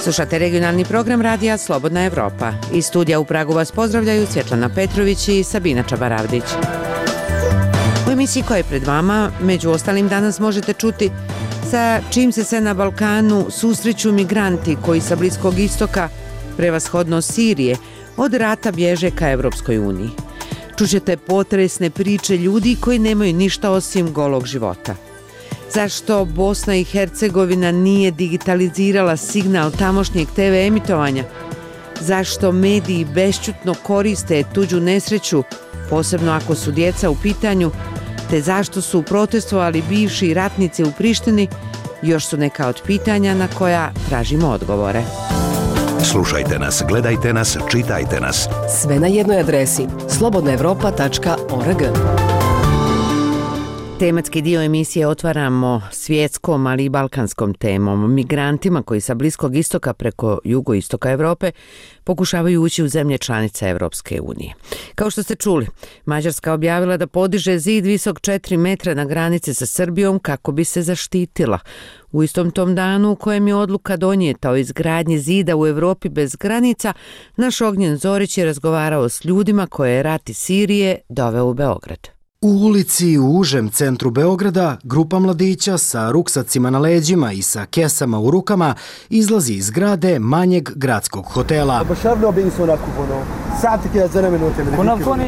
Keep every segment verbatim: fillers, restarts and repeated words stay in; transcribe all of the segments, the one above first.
Slušate regionalni program radija Slobodna Evropa. Iz studija u Pragu vas pozdravljaju Svjetlana Petrović i Sabina Čabaravdić. U emisiji koja je pred vama, među ostalim danas možete čuti sa čim se sve na Balkanu susreću migranti koji sa Bliskog istoka, prevashodno Sirije, od rata bježe ka Evropskoj uniji. Čućete potresne priče ljudi koji nemaju ništa osim golog života. Zašto Bosna i Hercegovina nije digitalizirala signal tamošnjeg te ve emitovanja? Zašto mediji bešćutno koriste tuđu nesreću, posebno ako su djeca u pitanju, te zašto su protestovali bivši ratnici u Prištini, još su neka od pitanja na koja tražimo odgovore. Slušajte nas, gledajte nas, čitajte nas. Sve na jednoj adresi slobodna evropa tačka org. Tematski dio emisije otvaramo svjetskom, ali i balkanskom temom, migrantima koji sa Bliskog istoka preko jugoistoka Europe pokušavaju ući u zemlje članice Evropske unije. Kao što ste čuli, Mađarska objavila da podiže zid visok četiri metra na granici sa Srbijom kako bi se zaštitila. U istom tom danu u kojem je odluka donijeta o izgradnji zida u Europi bez granica, naš Ognjen Zorić je razgovarao s ljudima koje je rat iz Sirije doveo u Beograd. U ulici u užem centru Beograda grupa mladića sa ruksacima na leđima i sa kesama u rukama izlazi iz zgrade manjeg gradskog hotela.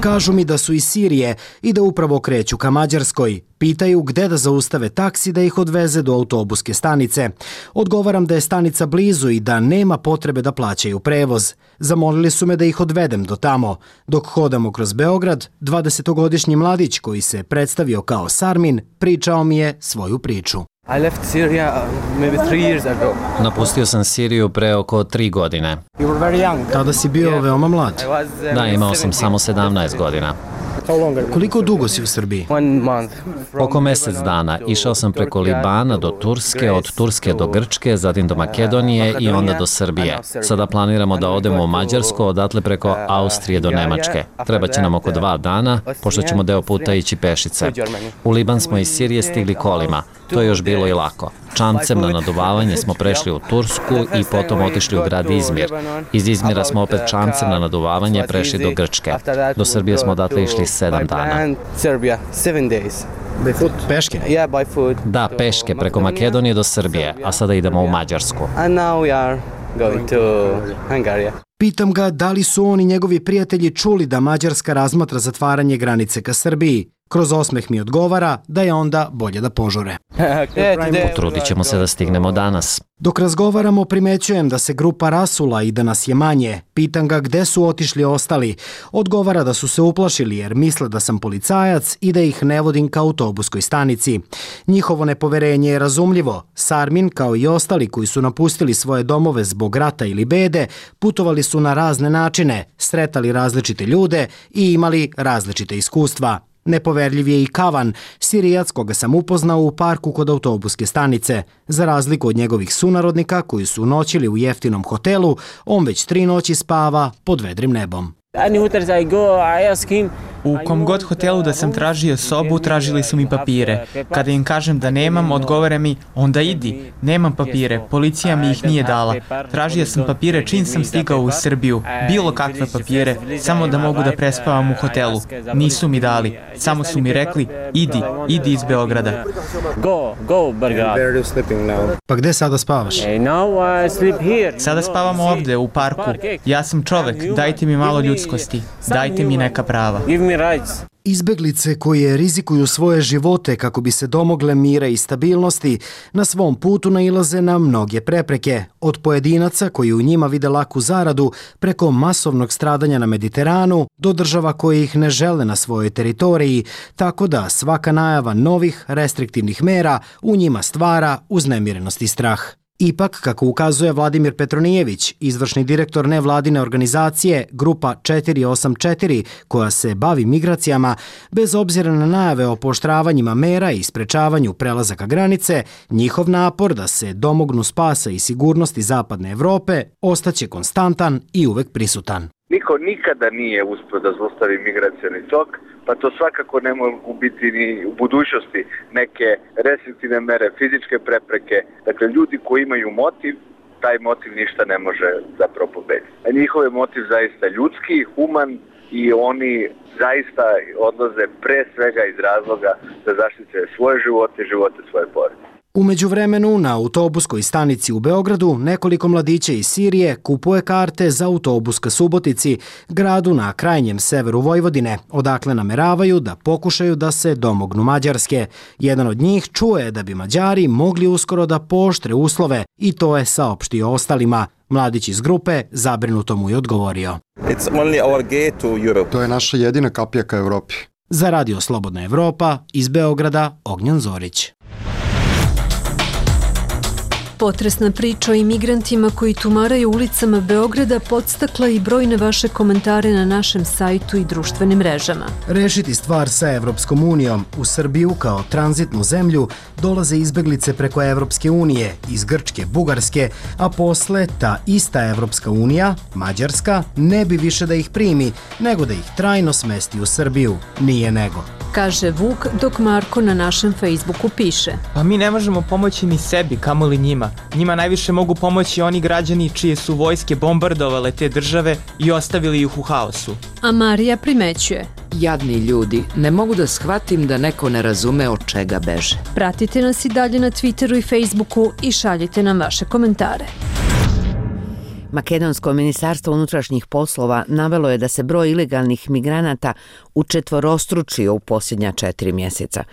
Kažu mi da su iz Sirije i da upravo kreću ka Mađarskoj. Pitaju gde da zaustave taksi da ih odveze do autobuske stanice. Odgovaram da je stanica blizu i da nema potrebe da plaćaju prevoz. Zamolili su me da ih odvedem do tamo. Dok hodamo kroz Beograd, dvadesetogodišnji mladić koji se predstavio kao Sarmin pričao mi je svoju priču. I left Syria maybe three years ago. Napustio sam Siriju pre oko tri godine. You were very young. Tada si bio yeah. veoma mlad. Da, imao sam samo sedamnaest godina. Koliko dugo si u Srbiji? Oko mjesec dana. Išao sam preko Libana do Turske, od Turske do Grčke, zatim do Makedonije i onda do Srbije. Sada planiramo da odemo u Mađarsku, odatle preko Austrije do Nemačke. Treba će nam oko dva dana, pošto ćemo deo puta ići pešice. U Liban smo iz Sirije stigli kolima. To je još bilo i lako. Čamcem na naduvavanje smo prešli u Tursku i potom otišli u grad Izmir. Iz Izmira smo opet čamcem na naduvavanje prešli do Grčke. Do Srbije smo odatle išli sedam dana. Peške? Da, peške, preko Makedonije do Srbije, a sada idemo u Mađarsku. Pitam ga da li su on i njegovi prijatelji čuli da Mađarska razmatra zatvaranje granice ka Srbiji. Kroz osmeh mi odgovara da je onda bolje da požure. Potrudit ćemo se da stignemo danas. Dok razgovaramo, primećujem da se grupa rasula i da nas je manje. Pitam ga gde su otišli ostali. Odgovara da su se uplašili jer misle da sam policajac i da ih ne vodim ka autobuskoj stanici. Njihovo nepoverenje je razumljivo. Sarmin, kao i ostali koji su napustili svoje domove zbog rata ili bede, putovali su na razne načine, sretali različite ljude i imali različite iskustva. Nepoverljiv je i Kavan, Sirijac koga sam upoznao u parku kod autobuske stanice. Za razliku od njegovih sunarodnika koji su noćili u jeftinom hotelu, on već tri noći spava pod vedrim nebom. U kom god hotelu da sam tražio sobu, tražili su mi papire. Kada im kažem da nemam, odgovore mi, onda idi. Nemam papire, policija mi ih nije dala. Tražio sam papire čim sam stigao u Srbiju. Bilo kakve papire, samo da mogu da prespavam u hotelu. Nisu mi dali, samo su mi rekli, idi, idi iz Beograda. Pa gde sada spavaš? Sada spavam ovde, u parku. Ja sam čovek, dajte mi malo ljudskosti, dajte mi neka prava. Izbeglice koje rizikuju svoje živote kako bi se domogle mira i stabilnosti, na svom putu nailaze na mnoge prepreke, od pojedinaca koji u njima vide laku zaradu preko masovnog stradanja na Mediteranu do država koje ih ne žele na svojoj teritoriji, tako da svaka najava novih restriktivnih mera u njima stvara uznemirenost i strah. Ipak, kako ukazuje Vladimir Petronijević, izvršni direktor nevladine organizacije Grupa četiri osam četiri, koja se bavi migracijama, bez obzira na najave o pooštravanjima mera i sprečavanju prelazaka granice, njihov napor da se domognu spasa i sigurnosti zapadne Evrope ostaće konstantan i uvek prisutan. Niko nikada nije uspio da zaustavi migracioni tok, pa to svakako ne mogu biti ni u budućnosti neke restriktivne mere, fizičke prepreke. Dakle, ljudi koji imaju motiv taj motiv ništa ne može zapravo pobediti. A njihov je motiv zaista ljudski, human i oni zaista odlaze pre svega iz razloga da zaštite svoje živote i živote svoje porodice. U međuvremenu na autobuskoj stanici u Beogradu nekoliko mladića iz Sirije kupuje karte za autobus ka Subotici, gradu na krajnjem severu Vojvodine, odakle nameravaju da pokušaju da se domognu Mađarske. Jedan od njih čuje da bi Mađari mogli uskoro da pooštre uslove i to je saopštio ostalima. Mladić iz grupe zabrinuto mu je odgovorio. It's only our gate to Europe. To je naša jedina kapija ka Evropi. Za Radio Slobodna Evropa iz Beograda, Ognjan Zorić. Potresna priča o imigrantima koji tumaraju ulicama Beograda podstakla i brojne vaše komentare na našem sajtu i društvenim mrežama. Rešiti stvar sa Evropskom unijom. U Srbiju kao tranzitnu zemlju dolaze izbeglice preko Evropske unije, iz Grčke, Bugarske, a posle ta ista Evropska unija, Mađarska, ne bi više da ih primi, nego da ih trajno smesti u Srbiju. Nije nego. Kaže Vuk, dok Marko na našem Facebooku piše. Pa mi ne možemo pomoći ni sebi, kamoli njima. Njima najviše mogu pomoći oni građani čije su vojske bombardovale te države i ostavili ih u haosu. A Marija primećuje. Jadni ljudi, ne mogu da shvatim da neko ne razume od čega beže. Pratite nas i dalje na Twitteru i Facebooku i šaljite nam vaše komentare. Makedonsko ministarstvo unutrašnjih poslova navelo je da se broj ilegalnih migranata učetvorostručio u posljednja četiri mjeseca.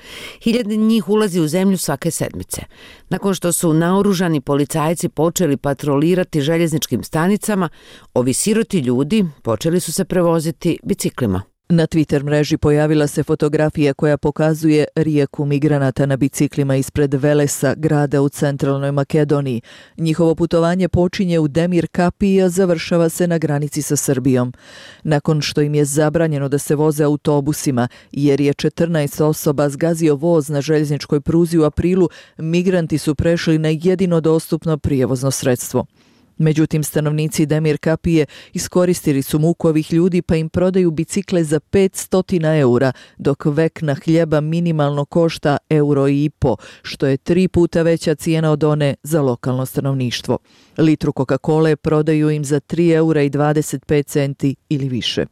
Hiljade njih ulazi u zemlju svake sedmice. Nakon što su naoružani policajci počeli patrolirati željezničkim stanicama, ovi siroti ljudi počeli su se prevoziti biciklima. Na Twitter mreži pojavila se fotografija koja pokazuje rijeku migranata na biciklima ispred Velesa, grada u centralnoj Makedoniji. Njihovo putovanje počinje u Demir Kapiji, a završava se na granici sa Srbijom. Nakon što im je zabranjeno da se voze autobusima, jer je četrnaest osoba zgazio voz na željezničkoj pruzi u aprilu, migranti su prešli na jedino dostupno prijevozno sredstvo. Međutim, stanovnici Demir Kapije iskoristili su muku ovih ljudi pa im prodaju bicikle za petsto eura, dok vekna hljeba minimalno košta euro i po, što je tri puta veća cijena od one za lokalno stanovništvo. Litru Coca-Cole prodaju im za tri eura i dvadeset pet centi ili više.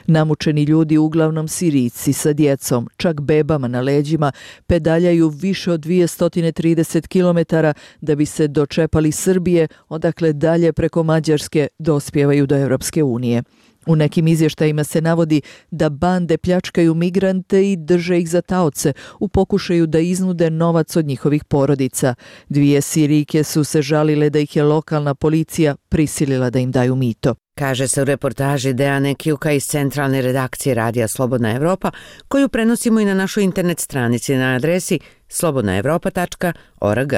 Namučeni ljudi, uglavnom Sirijci sa djecom, čak bebama na leđima, pedaljaju više od dvjesto trideset kilometara da bi se dočepali Srbije, odakle dalje preko Mađarske dospijevaju do Evropske unije. U nekim izvještajima se navodi da bande pljačkaju migrante i drže ih za taoce u pokušaju da iznude novac od njihovih porodica. Dvije Sirijke su se žalile da ih je lokalna policija prisilila da im daju mito. Kaže se u reportaži Dejane Kjuka iz centralne redakcije Radija Slobodna Evropa, koju prenosimo i na našoj internet stranici na adresi slobodna evropa tačka org.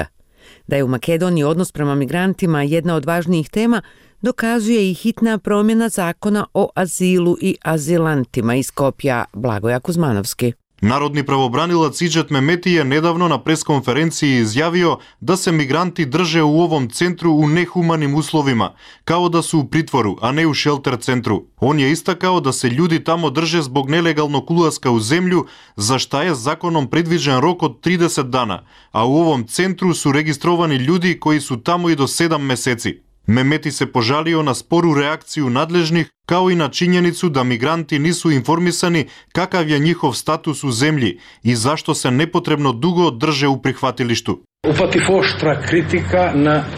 Da je u Makedoniji odnos prema migrantima jedna od važnijih tema, dokazuje i hitna promjena zakona o azilu i azilantima iz Skopja. Blagoja Kuzmanovski. Narodni pravobranilac Idžet Mehmeti je nedavno na preskonferenciji izjavio da se migranti drže u ovom centru u nehumanim uslovima, kao da su u pritvoru, a ne u šelter centru. On je istakao da se ljudi tamo drže zbog nelegalnog ulaska u zemlju, za šta je zakonom predviđen rok od trideset dana, a u ovom centru su registrovani ljudi koji su tamo i do sedam meseci. Mehmeti se požalio na sporu reakciju nadležnih, kao i na činjenicu da migranti nisu informisani kakav je njihov status u zemlji i zašto se nepotrebno dugo drže u prihvatilištu.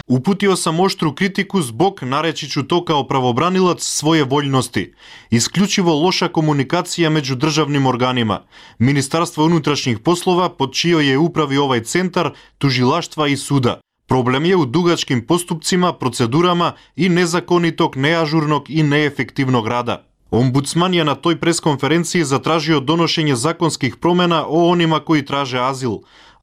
Uputio sam oštru kritiku zbog, nareći ću to kao pravobranilac, svoje voljnosti. Isključivo loša komunikacija među državnim organima. Ministarstvo unutrašnjih poslova, pod čijoj je upravi ovaj centar, tužilaštva i suda. Problem je u dugačkim postupcima, procedurama i nezakonitog, neažurnog i neefektivnog rada. Ombudsman je na toj preskonferenciji zatražio donošenje zakonskih promjena o onima koji traže azil,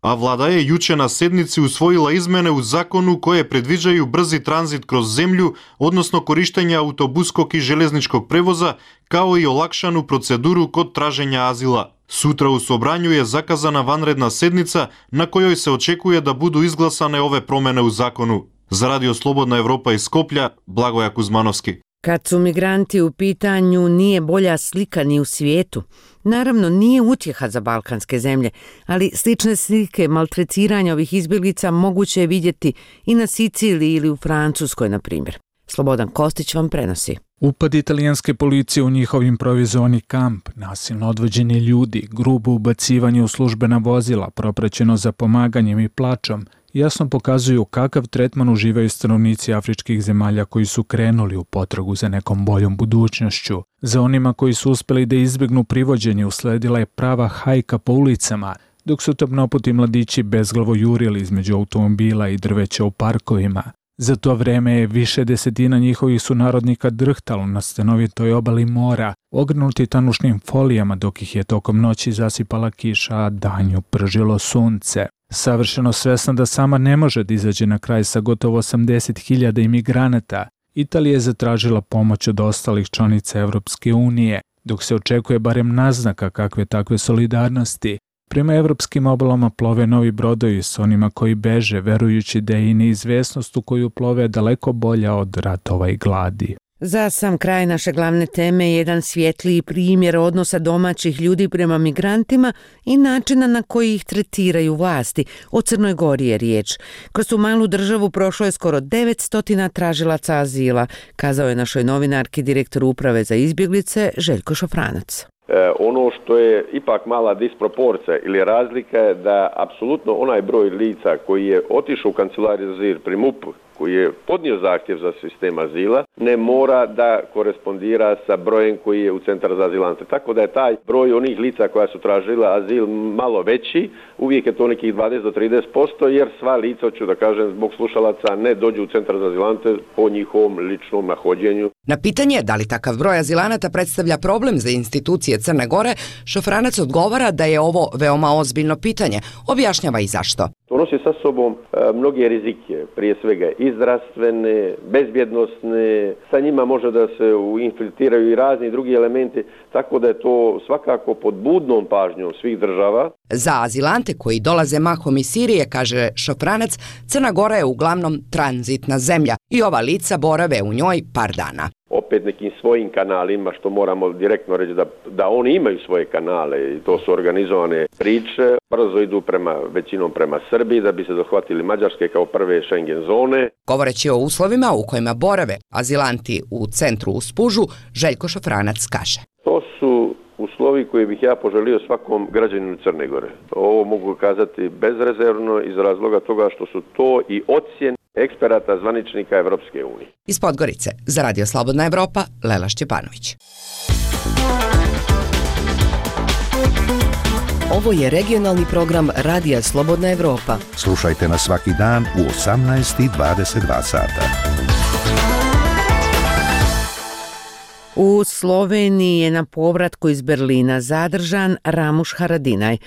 a vlada je juče na sednici usvojila izmene u zakonu koje predviđaju brzi tranzit kroz zemlju, odnosno korištenja autobuskog i željezničkog prevoza, kao i olakšanu proceduru kod traženja azila. Sutra u Sobranju je zakazana vanredna sednica na kojoj se očekuje da budu izglasane ove promjene u zakonu. Za Radio Slobodna Evropa iz Skoplja, Blagoja Kuzmanovski. Kad su migranti u pitanju, nije bolja slika ni u svijetu. Naravno, nije utjeha za balkanske zemlje, ali slične slike maltretiranja ovih izbjeglica moguće je vidjeti i na Siciliji ili u Francuskoj, na primjer. Slobodan Kostić vam prenosi. Upad italijanske policije u njihov improvizovani kamp, nasilno odvođeni ljudi, grubo ubacivanje u službena vozila, propraćeno za pomaganjem i plačom, jasno pokazuju kakav tretman uživaju stanovnici afričkih zemalja koji su krenuli u potragu za nekom boljom budućnošću. Za onima koji su uspjeli da izbjegnu privođenje usledila je prava hajka po ulicama, dok su tamnoputi mladići bezglavo jurili između automobila i drveća u parkovima. Za to vreme je više desetina njihovih sunarodnika drhtalo na stanovitoj obali mora, ogrnuti tanušnim folijama dok ih je tokom noći zasipala kiša, a danju pržilo sunce. Savršeno svesna da sama ne može da izađe na kraj sa gotovo osamdeset hiljada imigranata, Italija je zatražila pomoć od ostalih članica Evropske unije, dok se očekuje barem naznaka kakve takve solidarnosti. Prema evropskim obalama plove novi brodovi s onima koji beže, verujući da je i neizvesnost u koju plove daleko bolja od ratova i gladi. Za sam kraj naše glavne teme je jedan svjetliji primjer odnosa domaćih ljudi prema migrantima i načina na koji ih tretiraju vlasti. O Crnoj Gori je riječ. Kroz tu malu državu prošlo je skoro devetsto tražilaca azila, kazao je našoj novinarki direktor uprave za izbjeglice Željko Šofranac. E, ono što je ipak mala disproporcija ili razlika je da apsolutno onaj broj lica koji je otišao u kancelariju za azil pri M U P-u, koji je podnio zahtjev za sistem azila, ne mora da korespondira sa brojem koji je u Centar za azilante. Tako da je taj broj onih lica koja su tražila azil malo veći, uvijek je to nekih dvadeset do trideset posto, jer sva lica, hoću da kažem, zbog slušalaca ne dođu u Centar za azilante po njihovom ličnom nahođenju. Na pitanje da li takav broj azilanata predstavlja problem za institucije Crne Gore, Šofranac odgovara da je ovo veoma ozbiljno pitanje. Objašnjava i zašto. To nosi sa sobom e, mnoge rizike, prije svega i zdravstvene, bezbjednosne, sa njima može da se infiltriraju i razni drugi elementi, tako da je to svakako pod budnom pažnjom svih država. Za azilante koji dolaze mahom iz Sirije, kaže Šofranac, Crna Gora je uglavnom tranzitna zemlja i ova lica borave u njoj par dana. Opet nekim svojim kanalima, što moramo direktno reći da, da oni imaju svoje kanale i to su organizovane priče, brzo idu prema, većinom prema Srbiji da bi se dohvatili Mađarske kao prve Schengen zone. Govoreći o uslovima u kojima borave azilanti u centru u Spužu, Željko Šofranac kaže. To su uslovi koje bih ja poželio svakom građaninu Crne Gore. Ovo mogu kazati bezrezervno iz razloga toga što su to i ocjene eksperata zvaničnika Evropske unije. Iz Podgorice, za Radio Slobodna Evropa, Lela Šćepanović. Ovo je regionalni program Radija Slobodna Evropa. Slušajte nas svaki dan u osamnaest i dvadeset dva sata. U Sloveniji je na povratku iz Berlina zadržan Ramuš Haradinaj.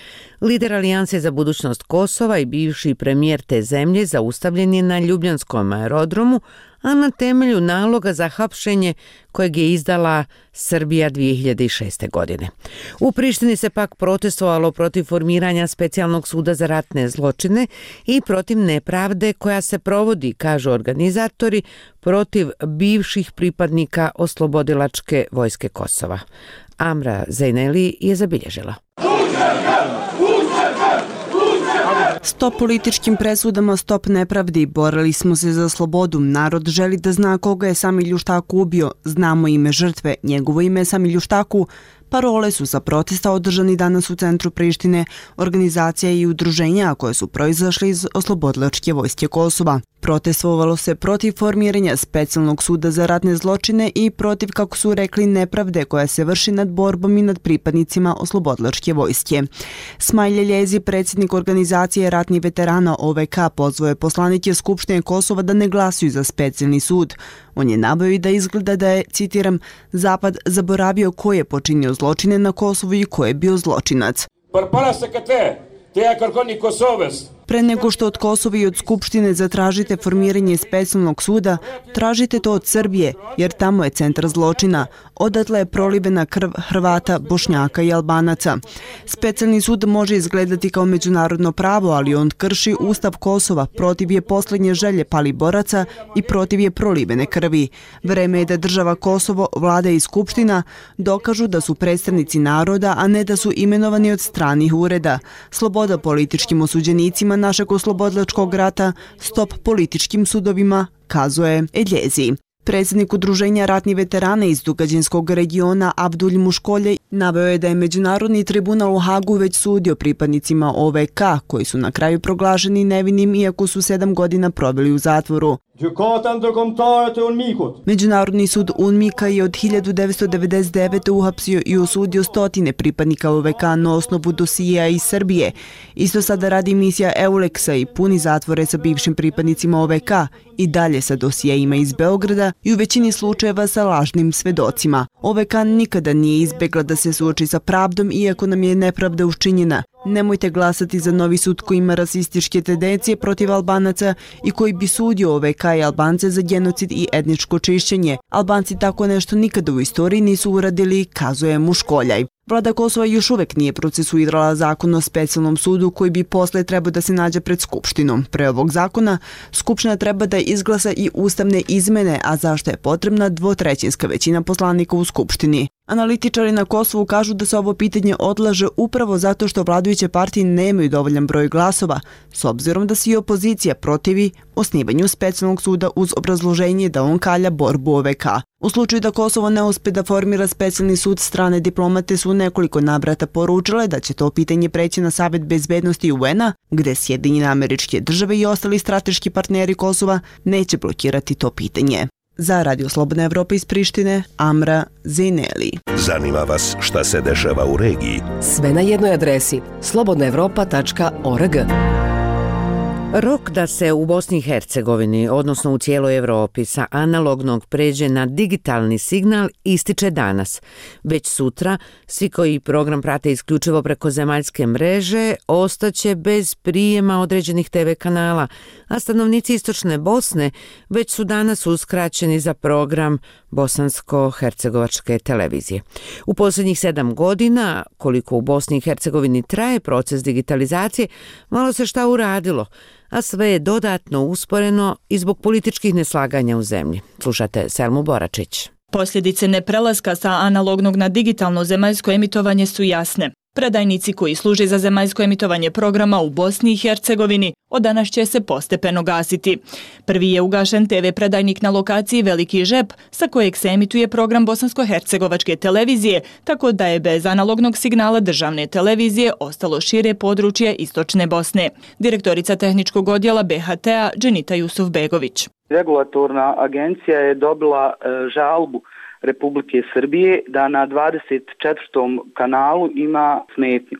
Lider Alijanse za budućnost Kosova i bivši premijer te zemlje zaustavljen je na Ljubljanskom aerodromu, a na temelju naloga za hapšenje kojeg je izdala Srbija dvije hiljade šeste. godine. U Prištini se pak protestovalo protiv formiranja specijalnog suda za ratne zločine i protiv nepravde koja se provodi, kažu organizatori, protiv bivših pripadnika oslobodilačke vojske Kosova. Amra Zejneli je zabilježila. Stop političkim presudama, stop nepravdi. Borili smo se za slobodu. Narod želi da zna koga je Sami Ljuštaku ubio. Znamo ime žrtve. Njegovo ime je Sami Ljuštaku. Parole su za protesta održani danas u centru Prištine, organizacija i udruženja koje su proizašli iz oslobodilačke vojske Kosova. Protestovalo se protiv formiranja specijalnog suda za ratne zločine i protiv, kako su rekli, nepravde koja se vrši nad borbom i nad pripadnicima oslobodilačke vojske. Smajlje Ljezi, predsjednik organizacije ratnih veterana O V K, pozvao je poslanike Skupštine Kosova da ne glasuju za specijalni sud. On je naveo i da izgleda da je, citiram, Zapad zaboravio ko je počinio zločine na Kosovu i ko je bio zločinac. Pre nego što od Kosova i od Skupštine zatražite formiranje specijalnog suda, tražite to od Srbije, jer tamo je centar zločina. Odatle je prolivena krv Hrvata, Bošnjaka i Albanaca. Specijalni sud može izgledati kao međunarodno pravo, ali on krši Ustav Kosova, protiv je posljednje želje pali boraca i protiv je prolivene krvi. Vreme je da država Kosovo, vlada i Skupština dokažu da su predstavnici naroda, a ne da su imenovani od stranih ureda. Sloboda političkim osuđenicima našeg oslobodilačkog rata, stop političkim sudovima, kazuje Eljezi. Predsjednik Udruženja ratnih veterana iz Dugađinskog regiona Abdulj Muškolje naveo je da je Međunarodni tribunal u Hagu već sudio pripadnicima O V K, koji su na kraju proglašeni nevinim iako su sedam godina proveli u zatvoru. Međunarodni sud UNMIK-a je od hiljadu devetsto devedeset devete. uhapsio i osudio stotine pripadnika O V K na osnovu dosija iz Srbije. Isto sada radi misija EULEX-a i puni zatvore sa bivšim pripadnicima O V K i dalje sa dosijejima iz Beograda i u većini slučajeva sa lažnim svedocima. O V K nikada nije izbegla da se suoči sa pravdom iako nam je nepravda učinjena. Nemojte glasati za novi sud koji ima rasističke tendencije protiv Albanaca i koji bi sudio O V K i Albance za genocid i etničko čišćenje. Albanci tako nešto nikada u istoriji nisu uradili, kazuje Muškoljaj. Vlada Kosova još uvek nije procesuirala zakon o specijalnom sudu koji bi posle trebao da se nađe pred Skupštinom. Pre ovog zakona, Skupština treba da izglasa i ustavne izmene, a zašto je potrebna dvotrećinska većina poslanika u Skupštini. Analitičari na Kosovu kažu da se ovo pitanje odlaže upravo zato što vladajuće partije nemaju dovoljan broj glasova, s obzirom da se i opozicija protivi osnivanju specijalnog suda uz obrazloženje da on kalja borbu O V K. U slučaju da Kosovo ne uspe da formira specijalni sud, strane diplomate su nekoliko navrata poručile da će to pitanje preći na Savet bezbednosti U N-a, gde Sjedinjene Američke Države i ostali strateški partneri Kosova neće blokirati to pitanje. Za Radio Slobodna Evropa iz Prištine, Amra Zineli. Zanima vas šta se dešava u regiji? Sve na jednoj adresi slobodna evropa tačka org. Rok da se u Bosni i Hercegovini, odnosno u cijeloj Evropi, sa analognog pređe na digitalni signal ističe danas. Već sutra, svi koji program prate isključivo preko zemaljske mreže, ostaće bez prijema određenih te ve kanala, a stanovnici istočne Bosne već su danas uskraćeni za program bosansko-hercegovačke televizije. U posljednjih sedam godina, koliko u Bosni i Hercegovini traje proces digitalizacije, malo se šta uradilo, a sve je dodatno usporeno i zbog političkih neslaganja u zemlji. Slušate Selmu Boračić. Posljedice neprelaska sa analognog na digitalno zemaljsko emitovanje su jasne. Predajnici koji služe za zemaljsko emitovanje programa u Bosni i Hercegovini od danas će se postepeno gasiti. Prvi je ugašen te ve predajnik na lokaciji Veliki Žep, sa kojeg se emituje program bosansko-hercegovačke televizije, tako da je bez analognog signala državne televizije ostalo šire područje istočne Bosne. Direktorica tehničkog odjela be ha te-a Dženita Jusufbegović. Regulatorna agencija je dobila e, žalbu Republike Srbije da na dvadeset četvrtom kanalu ima smetnju.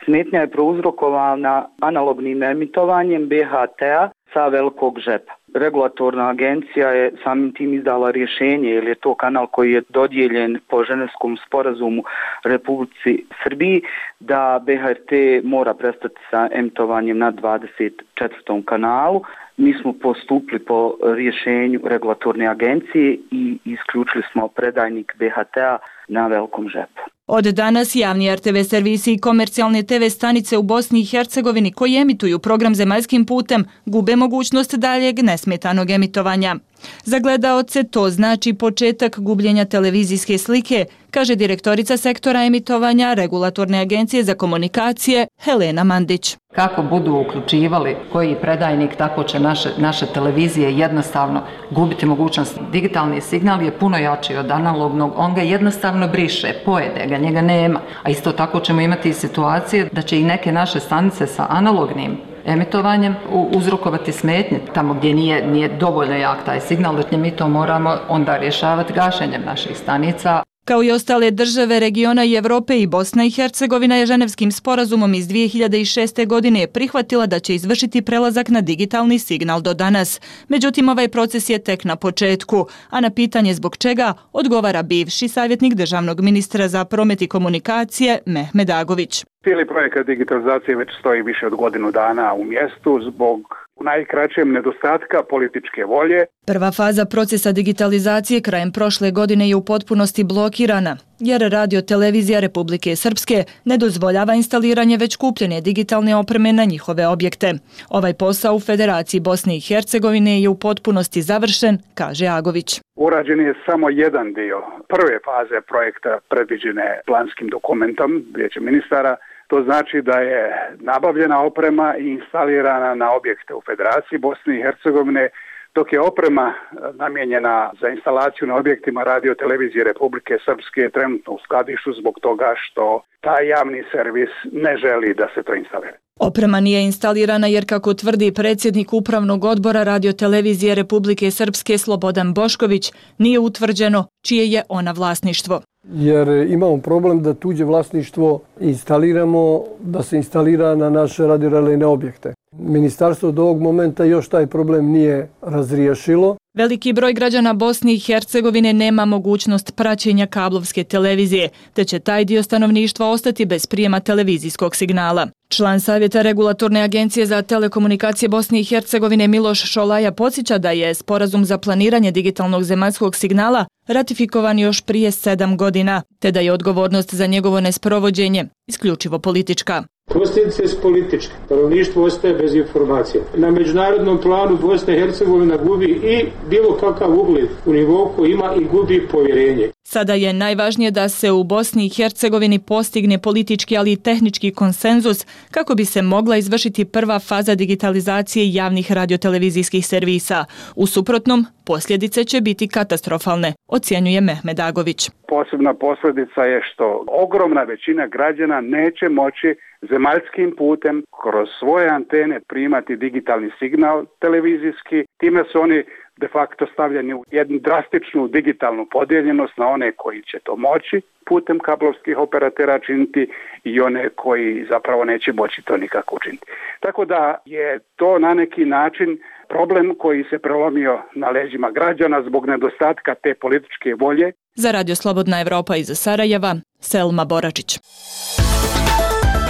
Smetnja je prouzrokovana analognim emitovanjem be ha te-a sa Velikog Žepa. Regulatorna agencija je samim tim izdala rješenje, jer je to kanal koji je dodijeljen po Ženevskom sporazumu Republici Srbiji, da be ha te mora prestati sa emitovanjem na dvadeset četvrtom kanalu. Mi smo postupili po rješenju regulatorne agencije i isključili smo predajnik be ha te-a na Velikom Žepu. Od danas javni er te ve servisi i komercijalne te ve stanice u Bosni i Hercegovini koji emituju program zemaljskim putem gube mogućnost daljeg nesmetanog emitovanja. Za gledaoce to znači početak gubljenja televizijske slike, kaže direktorica sektora emitovanja Regulatorne agencije za komunikacije Helena Mandić. Kako budu uključivali koji predajnik, tako će naše, naše televizije jednostavno gubiti mogućnost. Digitalni signal je puno jači od analognog, on ga jednostavno briše, pojede ga, njega nema. A isto tako ćemo imati situacije da će i neke naše stanice sa analognim emitovanjem uzrokovati smetnje tamo gdje nije, nije dovoljno jak taj signal, da mi to moramo onda rješavati gašenjem naših stanica. Kao i ostale države regiona i Evrope, i Bosna i Hercegovina je Ženevskim sporazumom iz dvije hiljade šeste. godine prihvatila da će izvršiti prelazak na digitalni signal do danas. Međutim, ovaj proces je tek na početku, a na pitanje zbog čega odgovara bivši savjetnik državnog ministra za promet i komunikacije Mehmed Agović. Cijeli projekat digitalizacije već stoji više od godinu dana u mjestu zbog u najkraćem nedostatka političke volje. Prva faza procesa digitalizacije krajem prošle godine je u potpunosti blokirana, jer Radio Televizija Republike Srpske ne dozvoljava instaliranje već kupljene digitalne opreme na njihove objekte. Ovaj posao u Federaciji Bosne i Hercegovine je u potpunosti završen, kaže Agović. Urađen je samo jedan dio prve faze projekta predviđene planskim dokumentom Vijeća ministara. To znači da je nabavljena oprema i instalirana na objekte u Federaciji Bosne i Hercegovine, dok je oprema namijenjena za instalaciju na objektima Radio Televizije Republike Srpske trenutno u skladištu zbog toga što taj javni servis ne želi da se to instalira. Oprema nije instalirana jer, kako tvrdi predsjednik Upravnog odbora Radio Televizije Republike Srpske Slobodan Bošković, nije utvrđeno čije je ona vlasništvo. Jer imamo problem da tuđe vlasništvo instaliramo, da se instalira na naše radiorelejne objekte. Ministarstvo do ovog momenta još taj problem nije razriješilo. Veliki broj građana Bosne i Hercegovine nema mogućnost praćenja kablovske televizije, te će taj dio stanovništva ostati bez prijema televizijskog signala. Član Savjeta Regulatorne agencije za telekomunikacije Bosne i Hercegovine Miloš Šolaja podsjeća da je sporazum za planiranje digitalnog zemaljskog signala ratifikovan još prije sedam godina, te da je odgovornost za njegovo nesprovođenje isključivo politička. Posljedice su političke. Stanovništvo ostaje bez informacija. Na međunarodnom planu Bosna i Hercegovina gubi i bilo kakav ugled u nivou koji ima i gubi povjerenje. Sada je najvažnije da se u Bosni i Hercegovini postigne politički, ali i tehnički konsenzus kako bi se mogla izvršiti prva faza digitalizacije javnih radiotelevizijskih servisa. U suprotnom, posljedice će biti katastrofalne, ocjenjuje Mehmed Agović. Posebna posljedica je što ogromna većina građana neće moći zemaljskim putem kroz svoje antene primati digitalni signal televizijski. Time su oni de facto stavljeni u jednu drastičnu digitalnu podijeljenost na one koji će to moći putem kablovskih operatera činiti i one koji zapravo neće moći to nikako učiniti. Tako da je to na neki način problem koji se prelomio na leđima građana zbog nedostatka te političke volje. Za Radio Slobodna Evropa iz Sarajeva, Selma Boračić.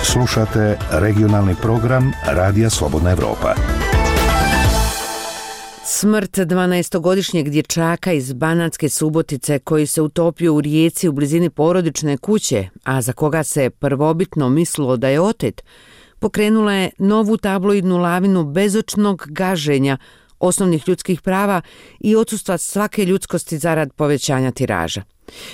Slušate regionalni program Radija Slobodna Evropa. Smrt dvanaestogodišnjeg dječaka iz Banatske Subotice koji se utopio u rijeci u blizini porodične kuće, a za koga se prvobitno mislilo da je otet, pokrenula je novu tabloidnu lavinu bezočnog gaženja osnovnih ljudskih prava i odsustva svake ljudskosti zarad povećanja tiraža.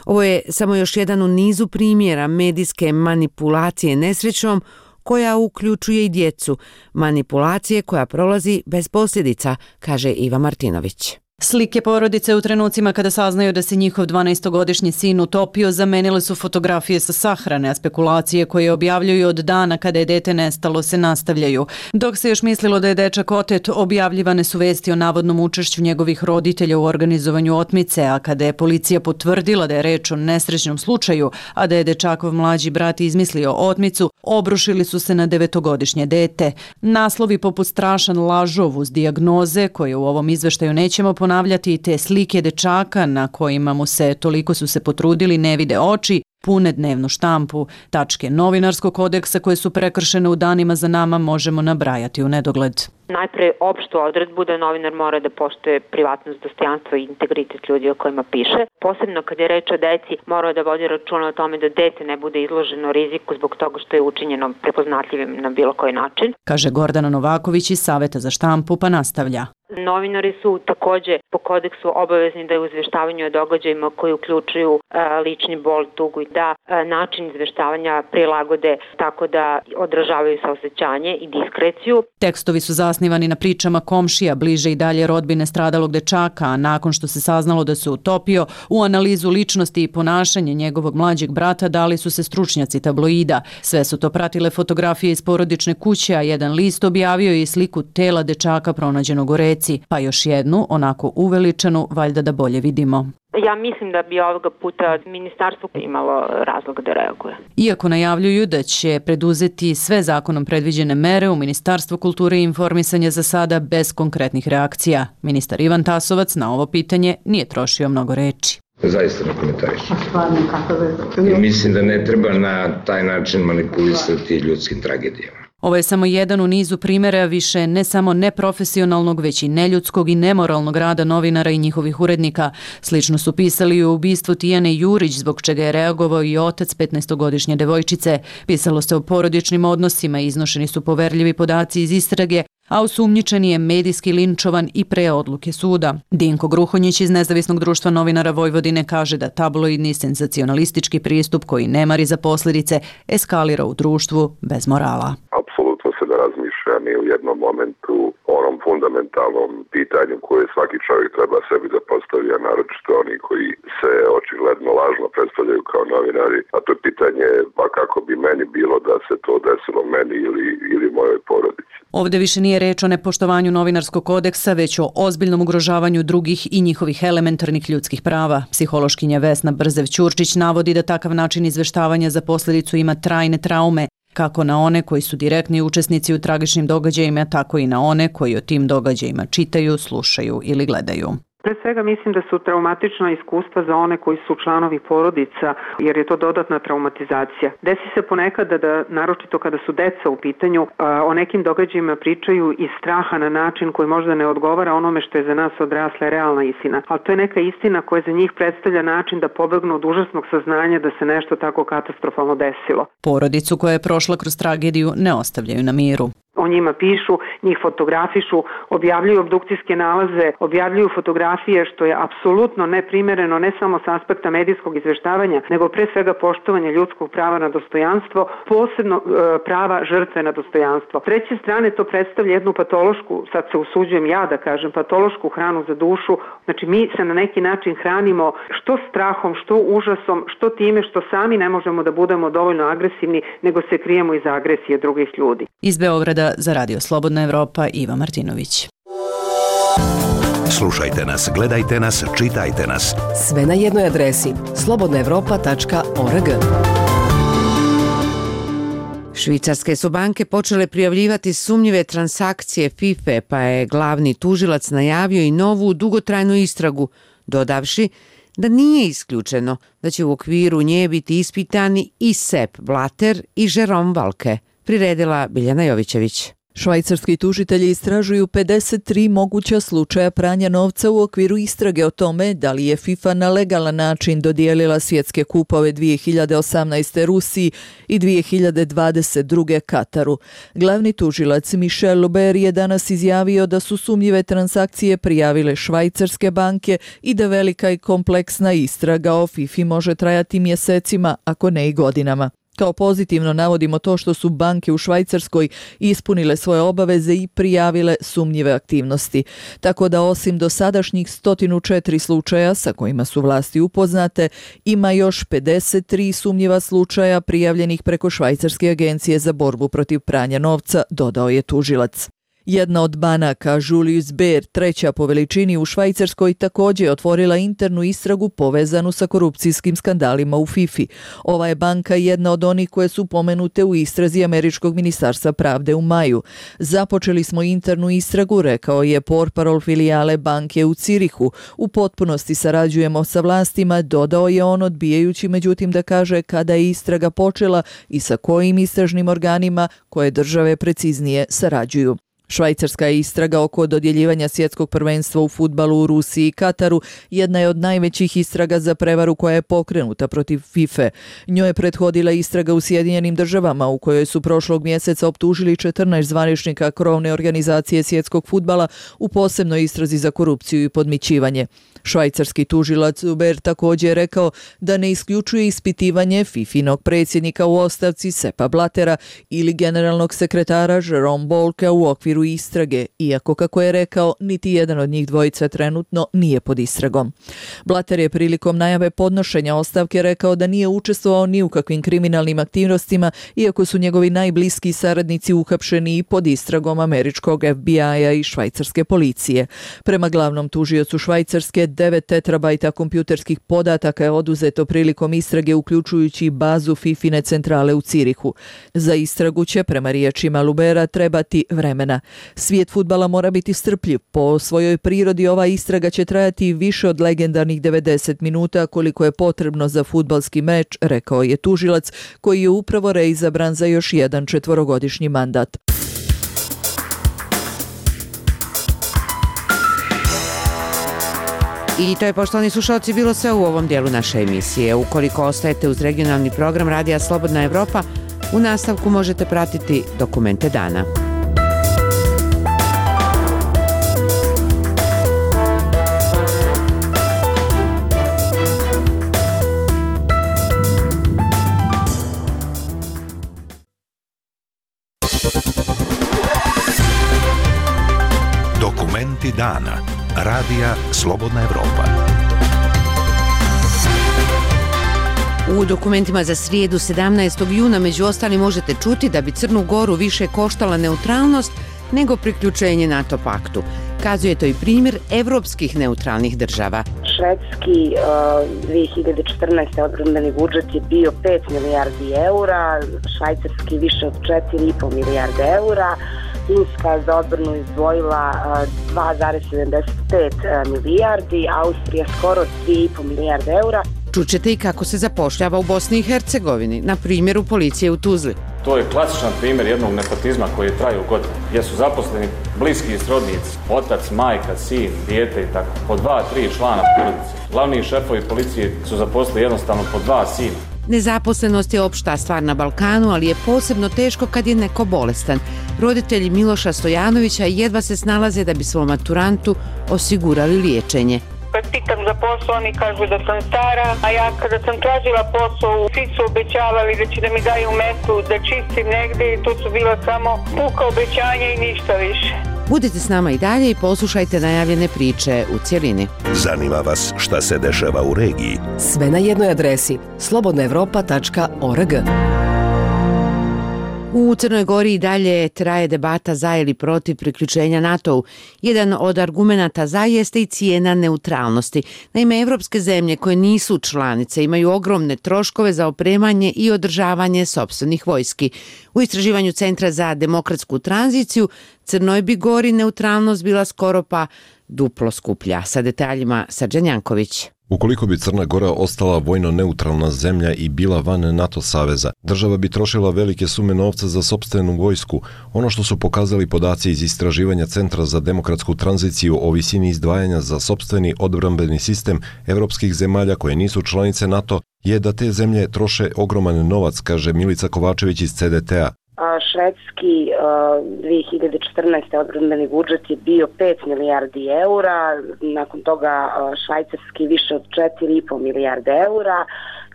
Ovo je samo još jedan u nizu primjera medijske manipulacije nesrećom koja uključuje i djecu, manipulacije koja prolazi bez posljedica, kaže Iva Martinović. Slike porodice u trenucima kada saznaju da se njihov dvanaestogodišnji sin utopio zamenile su fotografije sa sahrane, a spekulacije koje objavljuju od dana kada je dete nestalo se nastavljaju. Dok se još mislilo da je dečak otet, objavljivane su vesti o navodnom učešću njegovih roditelja u organizovanju otmice, a kada je policija potvrdila da je reč o nesrećnom slučaju, a da je dečakov mlađi brat izmislio otmicu, obrušili su se na devetogodišnje dete. Naslovi poput strašan lažov uz dijagnoze, koje u ovom izveštaju nećemo ponavljati, i te slike dečaka na kojima mu se toliko su se potrudili ne vide oči, pune dnevnu štampu. Tačke novinarskog kodeksa koje su prekršene u danima za nama možemo nabrajati u nedogled. Najpre opštu odredbu da novinar mora da poštuje privatnost, dostojanstvo i integritet ljudi o kojima piše. Posebno kad je reč o deci, mora da vodi računa o tome da dete ne bude izloženo riziku zbog toga što je učinjeno prepoznatljivim na bilo koji način. Kaže Gordana Novaković iz Saveta za štampu, pa nastavlja. Novinari su takođe po kodeksu obavezni da u izveštavanju o događajima koji uključuju e, lični bol, tugu i da e, način izveštavanja prilagode tako da odražavaju saosećanje i diskreciju. Tekstovi su zasnivani na pričama komšija, bliže i dalje rodbine stradalog dečaka, a nakon što se saznalo da se utopio, u analizu ličnosti i ponašanje njegovog mlađeg brata dali su se stručnjaci tabloida. Sve su to pratile fotografije iz porodične kuće, a jedan list objavio je i sliku tela dečaka pronađenog u reci, pa još jednu, onako uveličanu, valjda da bolje vidimo. Ja mislim da bi ovoga puta ministarstvo imalo razlog da reaguje. Iako najavljuju da će preduzeti sve zakonom predviđene mere, u Ministarstvu kulture i informisanja za sada bez konkretnih reakcija. Ministar Ivan Tasovac na ovo pitanje nije trošio mnogo reči. Zaista ne komentarišem. I mislim da ne treba na taj način manipulisati ljudskim tragedijama. Ovo je samo jedan u nizu primjera više ne samo neprofesionalnog, već i neljudskog i nemoralnog rada novinara i njihovih urednika. Slično su pisali i o ubistvu Tijane Jurić, zbog čega je reagovao i otac petnaestogodišnje devojčice. Pisalo se o porodičnim odnosima, iznošeni su poverljivi podaci iz istrage, a osumnjičeni je medijski linčovan i pre odluke suda. Dinko Gruhonjić iz Nezavisnog društva novinara Vojvodine kaže da tabloidni senzacionalistički pristup koji ne mari za posljedice eskalira u društvu bez morala. Apsolutno se ne razmišlja ni u jednom momentu o onom fundamentalnom pitanju koje svaki čovjek treba sebi da postavi, a naročito oni koji se očigledno lažno predstavljaju kao novinari, a to je pitanje pa kako bi meni bilo da se to desilo meni ili, ili mojoj porodici. Ovdje više nije reč o nepoštovanju novinarskog kodeksa, već o ozbiljnom ugrožavanju drugih i njihovih elementarnih ljudskih prava. Psihološkinja Vesna Brzev-Ćurčić navodi da takav način izveštavanja za posljedicu ima trajne traume, kako na one koji su direktni učesnici u tragičnim događajima, tako i na one koji o tim događajima čitaju, slušaju ili gledaju. Pre svega mislim da su traumatična iskustva za one koji su članovi porodica, jer je to dodatna traumatizacija. Desi se ponekad da, da naročito kada su deca u pitanju, o nekim događajima pričaju iz straha na način koji možda ne odgovara onome što je za nas odrasla realna istina. Ali to je neka istina koja za njih predstavlja način da pobegnu od užasnog saznanja da se nešto tako katastrofalno desilo. Porodicu koja je prošla kroz tragediju ne ostavljaju na miru. O njima pišu, njih fotografišu, objavljuju obdukcijske nalaze, objavljuju fotografije, što je apsolutno neprimereno ne samo s aspekta medijskog izveštavanja, nego pre svega poštovanja ljudskog prava na dostojanstvo, posebno e, prava žrtve na dostojanstvo. S treće strane to predstavlja jednu patološku, sad se usuđujem ja da kažem, patološku hranu za dušu. Znači mi se na neki način hranimo što strahom, što užasom, što time što sami ne možemo da budemo dovoljno agresivni, nego se krijemo iza agresije drugih ljudi. Iz Beograda za Radio Slobodna Evropa, Iva Martinović. Slušajte nas, gledajte nas, čitajte nas. Sve na jednoj adresi slobodna evropa tačka org. Švicarske su banke počele prijavljivati sumnjive transakcije FIFA, pa je glavni tužilac najavio i novu dugotrajnu istragu, dodavši da nije isključeno da će u okviru nje biti ispitani i Sepp Blatter i Jerome Valcke, priredila Biljana Jovićević. Švajcarski tužitelji istražuju pedeset tri moguća slučaja pranja novca u okviru istrage o tome da li je FIFA na legalan način dodijelila svjetske kupove dvije hiljade osamnaeste. Rusiji i dvije hiljade dvadeset druge. Kataru. Glavni tužilac Michel Luber je danas izjavio da su sumnjive transakcije prijavile švajcarske banke i da velika i kompleksna istraga o FIFA može trajati mjesecima, ako ne i godinama. Kao pozitivno navodimo to što su banke u Švajcarskoj ispunile svoje obaveze i prijavile sumnjive aktivnosti. Tako da osim dosadašnjih sto četiri slučaja sa kojima su vlasti upoznate, ima još pedeset tri sumnjiva slučaja prijavljenih preko Švajcarske agencije za borbu protiv pranja novca, dodao je tužilac. Jedna od banaka, Julius Baer, treća po veličini u Švajcarskoj, također je otvorila internu istragu povezanu sa korupcijskim skandalima u FIFA. Ova je banka jedna od onih koje su pomenute u istrazi Američkog ministarstva pravde u maju. Započeli smo internu istragu, rekao je portparol filijale banke u Cirihu. U potpunosti sarađujemo sa vlastima, dodao je on, odbijajući međutim da kaže kada je istraga počela i sa kojim istražnim organima koje države preciznije sarađuju. Švajcarska istraga oko dodjeljivanja svjetskog prvenstva u fudbalu u Rusiji i Kataru jedna je od najvećih istraga za prevaru koja je pokrenuta protiv FIFA. Njoj je prethodila istraga u Sjedinjenim državama u kojoj su prošlog mjeseca optužili četrnaest zvaničnika krovne organizacije svjetskog fudbala u posebnoj istrazi za korupciju i podmićivanje. Švajcarski tužilac Uber također je rekao da ne isključuje ispitivanje FIFInog predsjednika u ostavci Seppa Blattera ili generalnog sekretara Jerome Valcke u okviru istrage, iako, kako je rekao, niti jedan od njih dvojica trenutno nije pod istragom. Blatter je prilikom najave podnošenja ostavke rekao da nije učestvovao ni u kakvim kriminalnim aktivnostima, iako su njegovi najbliski saradnici uhapšeni i pod istragom američkog F B I-a i švajcarske policije. Prema glavnom tužiocu Švajcarske, devet tetrabajta kompjuterskih podataka je oduzeto prilikom istrage, uključujući bazu Fifine centrale u Cirihu. Za istragu će, prema riječima Lubera, trebati vremena. Svijet fudbala mora biti strpljiv. Po svojoj prirodi ova istraga će trajati više od legendarnih devedeset minuta koliko je potrebno za fudbalski meč, rekao je tužilac, koji je upravo reizabran za još jedan četvorogodišnji mandat. I to je, poštovani slušalci, bilo sve u ovom dijelu naše emisije. Ukoliko ostajete uz regionalni program Radija Slobodna Evropa, u nastavku možete pratiti dokumente dana. Dokumenti dana. Radija Slobodna Evropa. U dokumentima za srijedu sedamnaestog juna među ostalim možete čuti da bi Crnu Goru više koštala neutralnost nego priključenje NATO paktu. Kazuje to i primjer evropskih neutralnih država. Švedski uh, dvije hiljade četrnaeste. odbrambeni budžet je bio pet milijardi eura, švajcarski više od četiri i po milijarde eura, Finska za odbranu izdvojila dva zarez sedamdeset pet milijardi, Austrija skoro tri i po milijarde eura. Čućete i kako se zapošljava u Bosni i Hercegovini, na primjeru policije u Tuzli. To je klasičan primjer jednog nepotizma koji traju godinu, gdje su zaposleni bliski i srodnici, otac, majka, sin, dijete i tako, po dva, tri člana porodice. Glavni šefovi policije su zaposlili jednostavno po dva sina. Nezaposlenost je opšta stvar na Balkanu, ali je posebno teško kad je neko bolestan. Roditelji Miloša Stojanovića jedva se snalaze da bi svom maturantu osigurali liječenje. Kad pitam za posao, oni kažu da sam stara, a ja kada sam tražila posao, svi su obećavali da će da mi daju metu, da čistim negdje i to su bila samo puka obećanja i ništa više. Budite s nama i dalje i poslušajte najavljene priče u cjelini. Zanima vas šta se dešava u regiji? Sve na jednoj adresi slobodna evropa tačka org. U Crnoj Gori i dalje traje debata za ili protiv priključenja NATO-u. Jedan od argumenata za jeste i cijena neutralnosti. Naime, evropske zemlje koje nisu članice imaju ogromne troškove za opremanje i održavanje sopstvenih vojski. U istraživanju Centra za demokratsku tranziciju Crnoj bi Gori neutralnost bila skoro pa duplo skuplja. Sa detaljima Srđan Janković. Ukoliko bi Crna Gora ostala vojno neutralna zemlja i bila van NATO saveza, država bi trošila velike sume novca za sopstvenu vojsku. Ono što su pokazali podaci iz istraživanja Centra za demokratsku tranziciju o visini izdvajanja za sopstveni odbrambeni sistem evropskih zemalja koje nisu članice NATO je da te zemlje troše ogroman novac, kaže Milica Kovačević iz C D T-a. Švedski dvije hiljade četrnaeste. odbrambeni budžet je bio pet milijardi eura, nakon toga švajcarski više od četiri i po milijarde eura,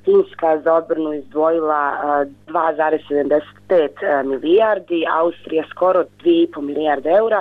Finska za odbranu izdvojila dva zarez sedamdeset pet milijardi, Austrija skoro dvije i po milijarde eura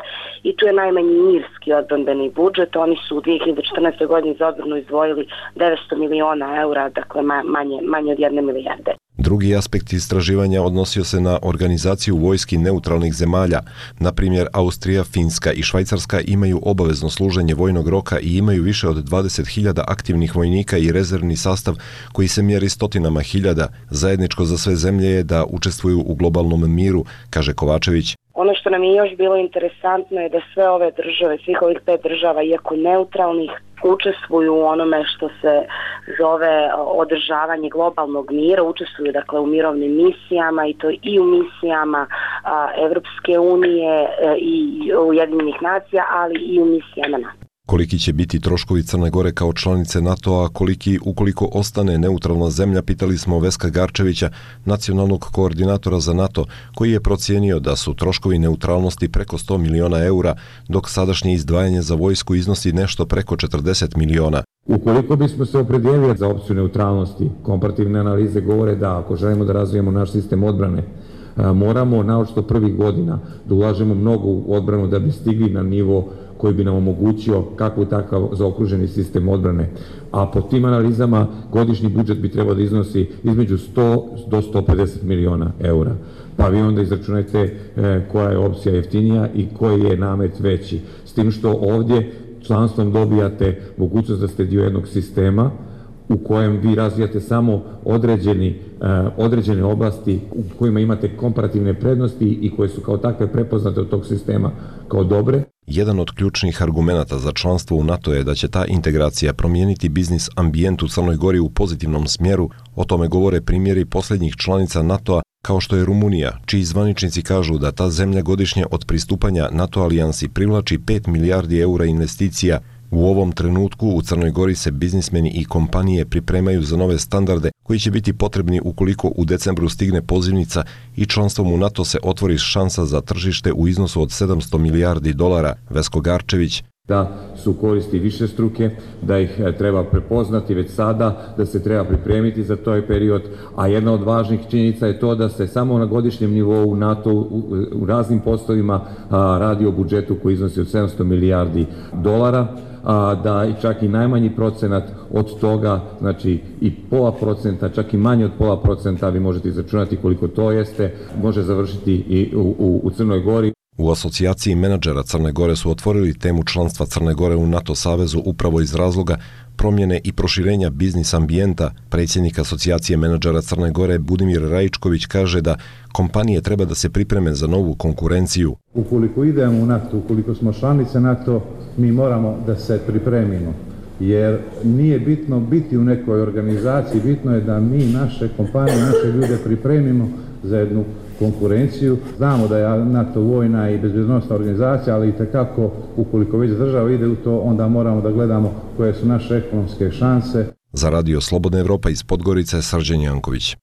i tu je najmanji irski odbrambeni budžet. Oni su u dvije hiljade četrnaestoj. godini za odbranu izdvojili devetsto miliona eura, dakle manje, manje od jedne milijarde. Drugi aspekt istraživanja odnosio se na organizaciju vojski neutralnih zemalja. Na primjer, Austrija, Finska i Švajcarska imaju obavezno služenje vojnog roka i imaju više od dvadeset hiljada aktivnih vojnika i rezervni sastav koji se mjeri stotinama hiljada. Zajedničko za sve zemlje je da učestvuju u globalnom miru, kaže Kovačević. Ono što nam je još bilo interesantno je da sve ove države, svih ovih pet država, iako neutralnih, učestvuju u onome što se zove održavanje globalnog mira, učestvuju dakle u mirovnim misijama i to i u misijama a, Evropske unije a, i Ujedinjenih nacija, ali i u misijama NATO. Koliki će biti troškovi Crne Gore kao članice NATO-a, koliki ukoliko ostane neutralna zemlja, pitali smo Veska Garčevića, nacionalnog koordinatora za NATO, koji je procijenio da su troškovi neutralnosti preko sto miliona eura, dok sadašnje izdvajanje za vojsku iznosi nešto preko četrdeset miliona. Ukoliko bismo se opredijelili za opciju neutralnosti, komparativne analize govore da ako želimo da razvijemo naš sistem odbrane, moramo naročito prvih godina da ulažemo mnogo u odbranu da bi stigli na nivo koji bi nam omogućio kakvu takav zaokruženi sistem odbrane. A po tim analizama godišnji budžet bi trebao da iznosi između sto do sto pedeset miliona eura. Pa vi onda izračunajte koja je opcija jeftinija i koji je namet veći. S tim što ovdje članstvom dobijate mogućnost da ste dio jednog sistema u kojem vi razvijate samo određeni, uh, određene oblasti u kojima imate komparativne prednosti i koje su kao takve prepoznate od tog sistema kao dobre. Jedan od ključnih argumenata za članstvo u NATO je da će ta integracija promijeniti biznis ambijent u Crnoj Gori u pozitivnom smjeru. O tome govore primjeri posljednjih članica NATO-a kao što je Rumunija, čiji zvaničnici kažu da ta zemlja godišnje od pristupanja NATO alijansi privlači pet milijardi eura investicija. U ovom trenutku u Crnoj Gori se biznismeni i kompanije pripremaju za nove standarde koji će biti potrebni ukoliko u decembru stigne pozivnica i članstvom u NATO se otvori šansa za tržište u iznosu od sedamsto milijardi dolara. Vesko Garčević. Da su koristi više struke, da ih treba prepoznati već sada, da se treba pripremiti za taj period, a jedna od važnih činjenica je to da se samo na godišnjem nivou NATO u, u raznim poslovima a, radi o budžetu koji iznosi od sedamsto milijardi dolara, a, da i čak i najmanji procenat od toga, znači i pola procenta, čak i manje od pola procenta, vi možete izračunati koliko to jeste, može završiti i u, u, u Crnoj Gori. U asocijaciji menadžera Crne Gore su otvorili temu članstva Crne Gore u NATO savezu upravo iz razloga promjene i proširenja biznis ambijenta. Predsjednik asocijacije menadžera Crne Gore Budimir Rajičković kaže da kompanije treba da se pripreme za novu konkurenciju. Ukoliko idemo u NATO, ukoliko smo članice NATO, mi moramo da se pripremimo. Jer nije bitno biti u nekoj organizaciji, bitno je da mi naše kompanije, naše ljude pripremimo za jednu konkurenciju. Znamo da je NATO vojna i bezbjednosna organizacija, ali i tekako ukoliko već država ide u to, onda moramo da gledamo koje su naše ekonomske šanse. Za Radio Slobodna Evropa iz Podgorice, Srđan Janković.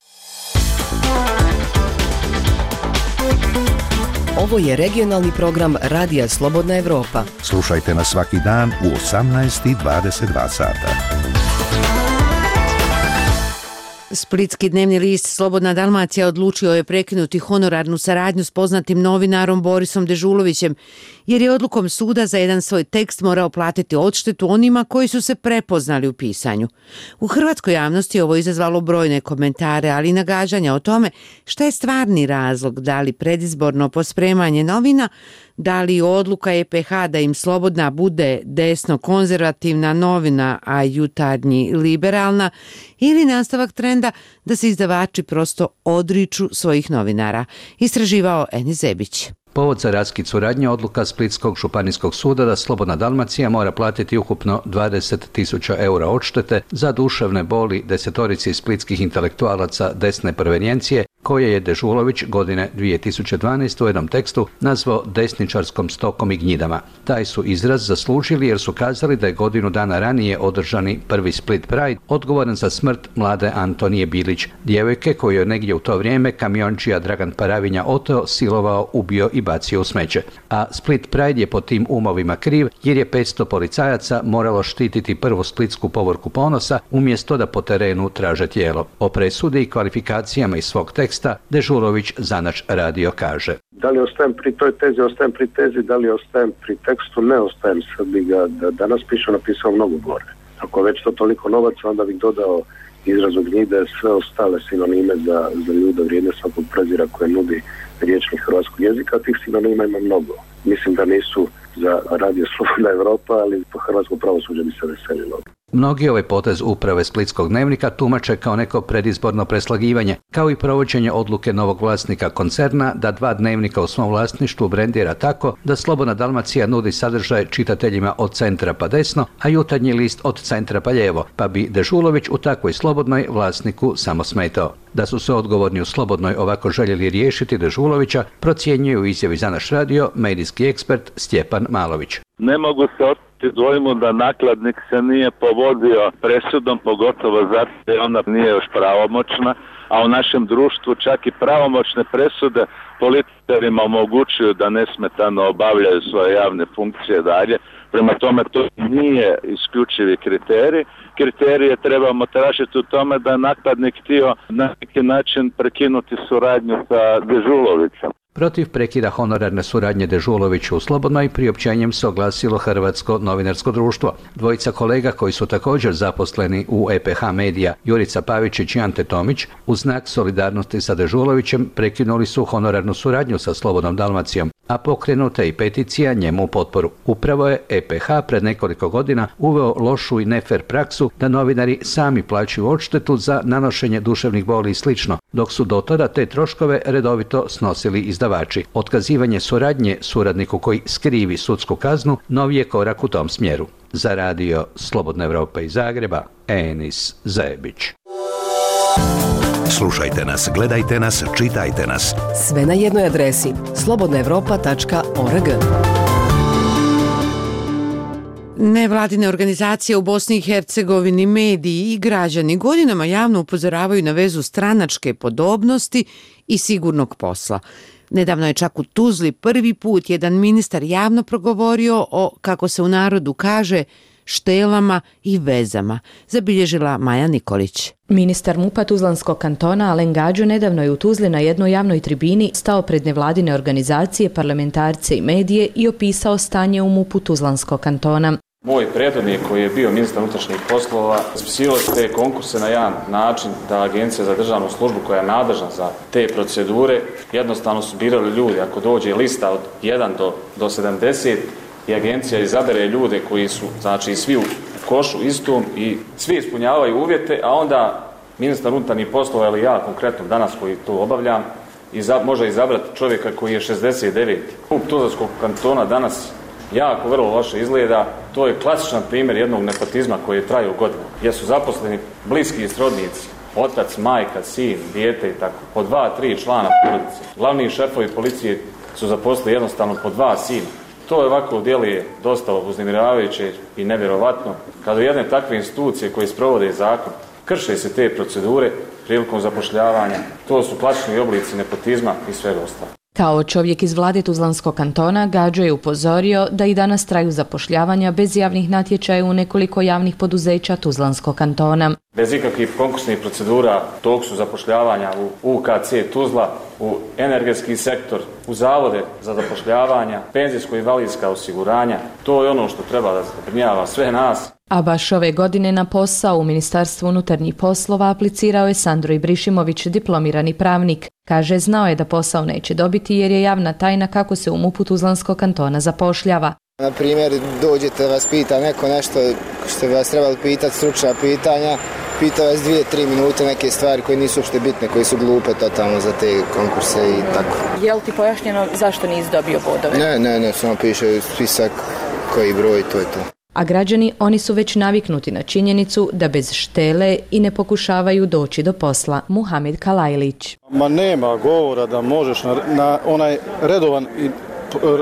Ovo je regionalni program Radija Slobodna Evropa. Slušajte nas svaki dan u osamnaest i dvadeset dva sata. Splitski dnevni list Slobodna Dalmacija odlučio je prekinuti honorarnu saradnju s poznatim novinarom Borisom Dežulovićem, jer je odlukom suda za jedan svoj tekst morao platiti odštetu onima koji su se prepoznali u pisanju. U hrvatskoj javnosti ovo izazvalo brojne komentare, ali i nagađanja o tome šta je stvarni razlog, da li predizborno pospremanje novina, da li odluka E P H da im Slobodna bude desno-konzervativna novina, a Jutarnji liberalna, ili nastavak trenda da se izdavači prosto odriču svojih novinara. Istraživao Eni Zebić. Povod za raskid suradnje odluka Splitskog županijskog suda da Slobodna Dalmacija mora platiti ukupno dvadeset tisuća eura odštete za duševne boli desetorici splitskih intelektualaca desne provenijencije, koje je Dežulović godine dvije tisuće dvanaeste. u jednom tekstu nazvao desničarskom stokom i gnjidama. Taj su izraz zaslužili jer su kazali da je godinu dana ranije održani prvi Split Pride odgovoran za smrt mlade Antonije Bilić, djevojke koju je negdje u to vrijeme kamiončija Dragan Paravinja oteo, silovao, ubio i bacio u smeće. A Split Pride je po tim umovima kriv jer je petsto policajaca moralo štititi prvu splitsku povorku ponosa umjesto da po terenu traže tijelo. O presudi i kvalifikacijama iz svog teksta Dežulović za naš radio kaže. Da li ostajem pri toj tezi, ostajem pri tezi, da li ostajem pri tekstu, ne ostajem, sad bi ga da, danas pišao, napisao mnogo gore. Ako već to toliko novaca, onda bih dodao izrazu gnjide, sve ostale sinonime za, za ljude vrijedne svakog prezira koje nudi riječnik hrvatskog jezika, tih sinonima ima mnogo. Mislim da nisu za Radio Slobodna Evropa, ali po hrvatsko pravosuđe bi se veselilo. Mnogi ovaj potez uprave Splitskog dnevnika tumače kao neko predizborno preslagivanje, kao i provođenje odluke novog vlasnika koncerna da dva dnevnika u svom vlasništvu brendira tako da Slobodna Dalmacija nudi sadržaj čitateljima od centra pa desno, a Jutarnji list od centra pa lijevo, pa bi Dežulović u takvoj Slobodnoj vlasniku samo smetao. Da su se odgovorni u Slobodnoj ovako željeli riješiti Dežulovića, procjenjuje u izjavi za naš radio medijski ekspert Stjepan Malović. Ne mogu se oteti dvojmu da nakladnik se nije povodio presudom, pogotovo zato jer ona nije još pravomoćna, a u našem društvu čak i pravomoćne presude političarima omogućuju da nesmetano obavljaju svoje javne funkcije dalje. Prema tome to nije isključivi kriterij. Kriterije trebamo tražiti u tome da je nakladnik htio na neki način prekinuti suradnju sa Dežulovićem. Protiv prekida honorarne suradnje Dežulovića u Slobodnoj priopćenjem se oglasilo Hrvatsko novinarsko društvo. Dvojica kolega koji su također zaposleni u E P H Medija, Jurica Pavičić i Ante Tomić, u znak solidarnosti sa Dežulovićem prekinuli su honorarnu suradnju sa Slobodnom Dalmacijom. a pokrenuta je i peticija njemu u potporu. Upravo je E P H pred nekoliko godina uveo lošu i nefer praksu da novinari sami plaćaju odštetu za nanošenje duševnih boli i slično, dok su do tada te troškove redovito snosili izdavači. Otkazivanje suradnje suradniku koji skrivi sudsku kaznu novi je korak u tom smjeru. Za radio Slobodna Evropa iz Zagreba, Enis Zebić. Slušajte nas, gledajte nas, čitajte nas. Sve na jednoj adresi slobodna evropa tačka org. Nevladine organizacije u Bosni i Hercegovini, mediji i građani godinama javno upozoravaju na vezu stranačke podobnosti i sigurnog posla. Nedavno je čak u Tuzli prvi put jedan ministar javno progovorio o, kako se u narodu kaže, štelama i vezama, zabilježila Maja Nikolić. Ministar MUP-a Tuzlanskog kantona Alen Gađo nedavno je u Tuzli na jednoj javnoj tribini stao pred nevladine organizacije, parlamentarce i medije i opisao stanje u MUP-u Tuzlanskog kantona. Moj prethodnik koji je bio ministar unutrašnjih poslova raspisivao te konkurse na jedan način da Agencija za državnu službu koja je nadležna za te procedure jednostavno su birali ljudi. Ako dođe lista od jedan do sedamdeset i agencija izabere ljude koji su, znači, svi u košu istom i svi ispunjavaju uvjete, a onda ministar unutarnjih poslova ili ja konkretno danas koji to obavljam iza, može izabrati čovjeka koji je šezdeset devet. MUP Tuzlanskog kantona danas jako vrlo loše izgleda. To je klasičan primjer jednog nepotizma koji je trajao godinama, gdje su zaposleni bliski i srodnici, otac, majka, sin, dijete i tako, po dva, tri člana porodice. Glavni šefovi policije su zaposlili jednostavno po dva sina. To je ovako djeluje dosta uznemiravajuće i nevjerovatno. Kada jedne takve institucije koje sprovode zakon krše se te procedure prilikom zapošljavanja, to su klasični oblici nepotizma i svega ostalo. Kao čovjek iz vlade Tuzlanskog kantona, Gađo je upozorio da i danas traju zapošljavanja bez javnih natječaja u nekoliko javnih poduzeća Tuzlanskog kantona. Bez ikakvih konkursnih procedura tog su zapošljavanja u U K C Tuzla, u energetski sektor, u zavode za zapošljavanja, penzijsko-invalidska osiguranja. To je ono što treba da zabrinjava sve nas. A baš ove godine na posao u Ministarstvu unutarnjih poslova aplicirao je Sandro Ibrišimović, diplomirani pravnik. Kaže, znao je da posao neće dobiti jer je javna tajna kako se u MUP-u Tuzlanskog kantona zapošljava. Na primjer, dođete, vas pita neko nešto što bi vas trebali pitati, stručna pitanja, pita vas dvije, tri minute neke stvari koje nisu uopšte bitne, koje su glupe totalno za te konkurse i tako. Je li ti pojašnjeno zašto nisi dobio bodove? Ne, ne, ne, samo piše spisak koji broj, to je to. A građani, oni su već naviknuti na činjenicu da bez štele i ne pokušavaju doći do posla. Muhamed Kalajlić. Ma nema govora da možeš na, na onaj redovan i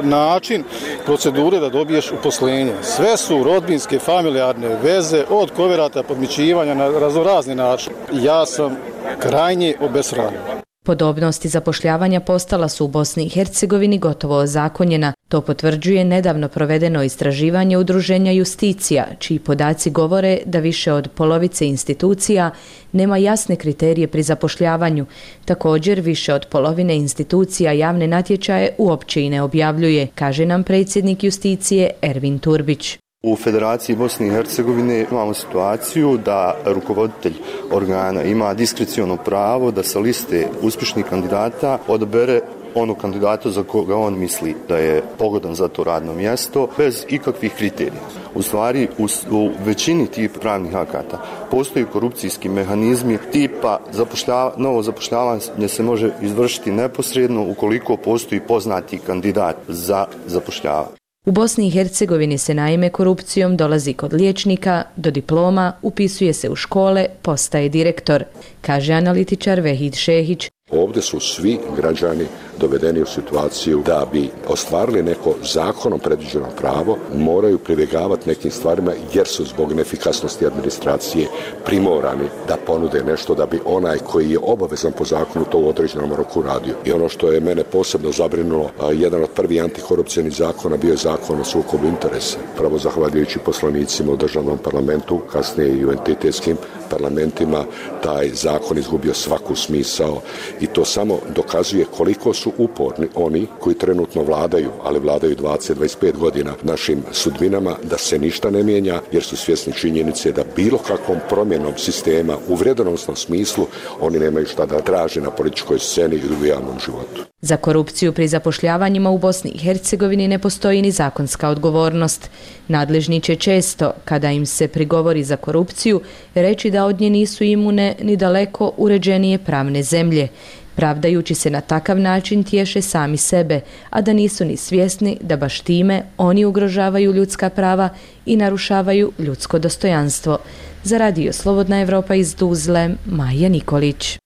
način procedure da dobiješ uposlenje. Sve su rodbinske, familijarne veze, od koverata, podmićivanja na raznorazni način. Ja sam krajnje obesravljen. Podobnost i zapošljavanja postala su u Bosni i Hercegovini gotovo ozakonjena. To potvrđuje nedavno provedeno istraživanje udruženja Justicija, čiji podaci govore da više od polovice institucija nema jasne kriterije pri zapošljavanju. Također, više od polovine institucija javne natječaje uopće i ne objavljuje, kaže nam predsjednik Justicije Ervin Turbić. U Federaciji Bosne i Hercegovine imamo situaciju da rukovoditelj organa ima diskreciono pravo da sa liste uspješnih kandidata odabere onog kandidata za koga on misli da je pogodan za to radno mjesto bez ikakvih kriterija. U stvari, u, u većini tih pravnih akata postoji korupcijski mehanizmi tipa zapošljava, novo zapošljavanje se može izvršiti neposredno ukoliko postoji poznati kandidat za zapošljavanje. U Bosni i Hercegovini se naime korupcijom dolazi kod liječnika, do diploma, upisuje se u škole, postaje direktor, kaže analitičar Vehid Šehić. Ovdje su svi građani dovedeni u situaciju da bi ostvarili neko zakonom predviđeno pravo, moraju pribjegavati nekim stvarima jer su zbog neefikasnosti administracije primorani da ponude nešto da bi onaj koji je obavezan po zakonu to u određenom roku radio. I ono što je mene posebno zabrinulo, jedan od prvih antikorupcijskih zakona bio je zakon o sukobu interesa. Pravo zahvaljujući poslanicima u državnom parlamentu, kasnije i u entitetskim parlamentima taj zakon izgubio svaku smisao i to samo dokazuje koliko su uporni oni koji trenutno vladaju, ali vladaju dvadeset do dvadeset pet godina našim sudbinama, da se ništa ne mijenja jer su svjesni činjenice da bilo kakvom promjenom sistema u vredonosnom smislu oni nemaju šta da traže na političkoj sceni i u javnom životu. Za korupciju pri zapošljavanjima u Bosni i Hercegovini ne postoji ni zakonska odgovornost. Nadležni će često, kada im se prigovori za korupciju, reći da od nje nisu imune ni daleko uređenije pravne zemlje. Pravdajući se na takav način tješe sami sebe, a da nisu ni svjesni da baš time oni ugrožavaju ljudska prava i narušavaju ljudsko dostojanstvo. Za Radio Slobodna Evropa iz Tuzle, Maja Nikolić.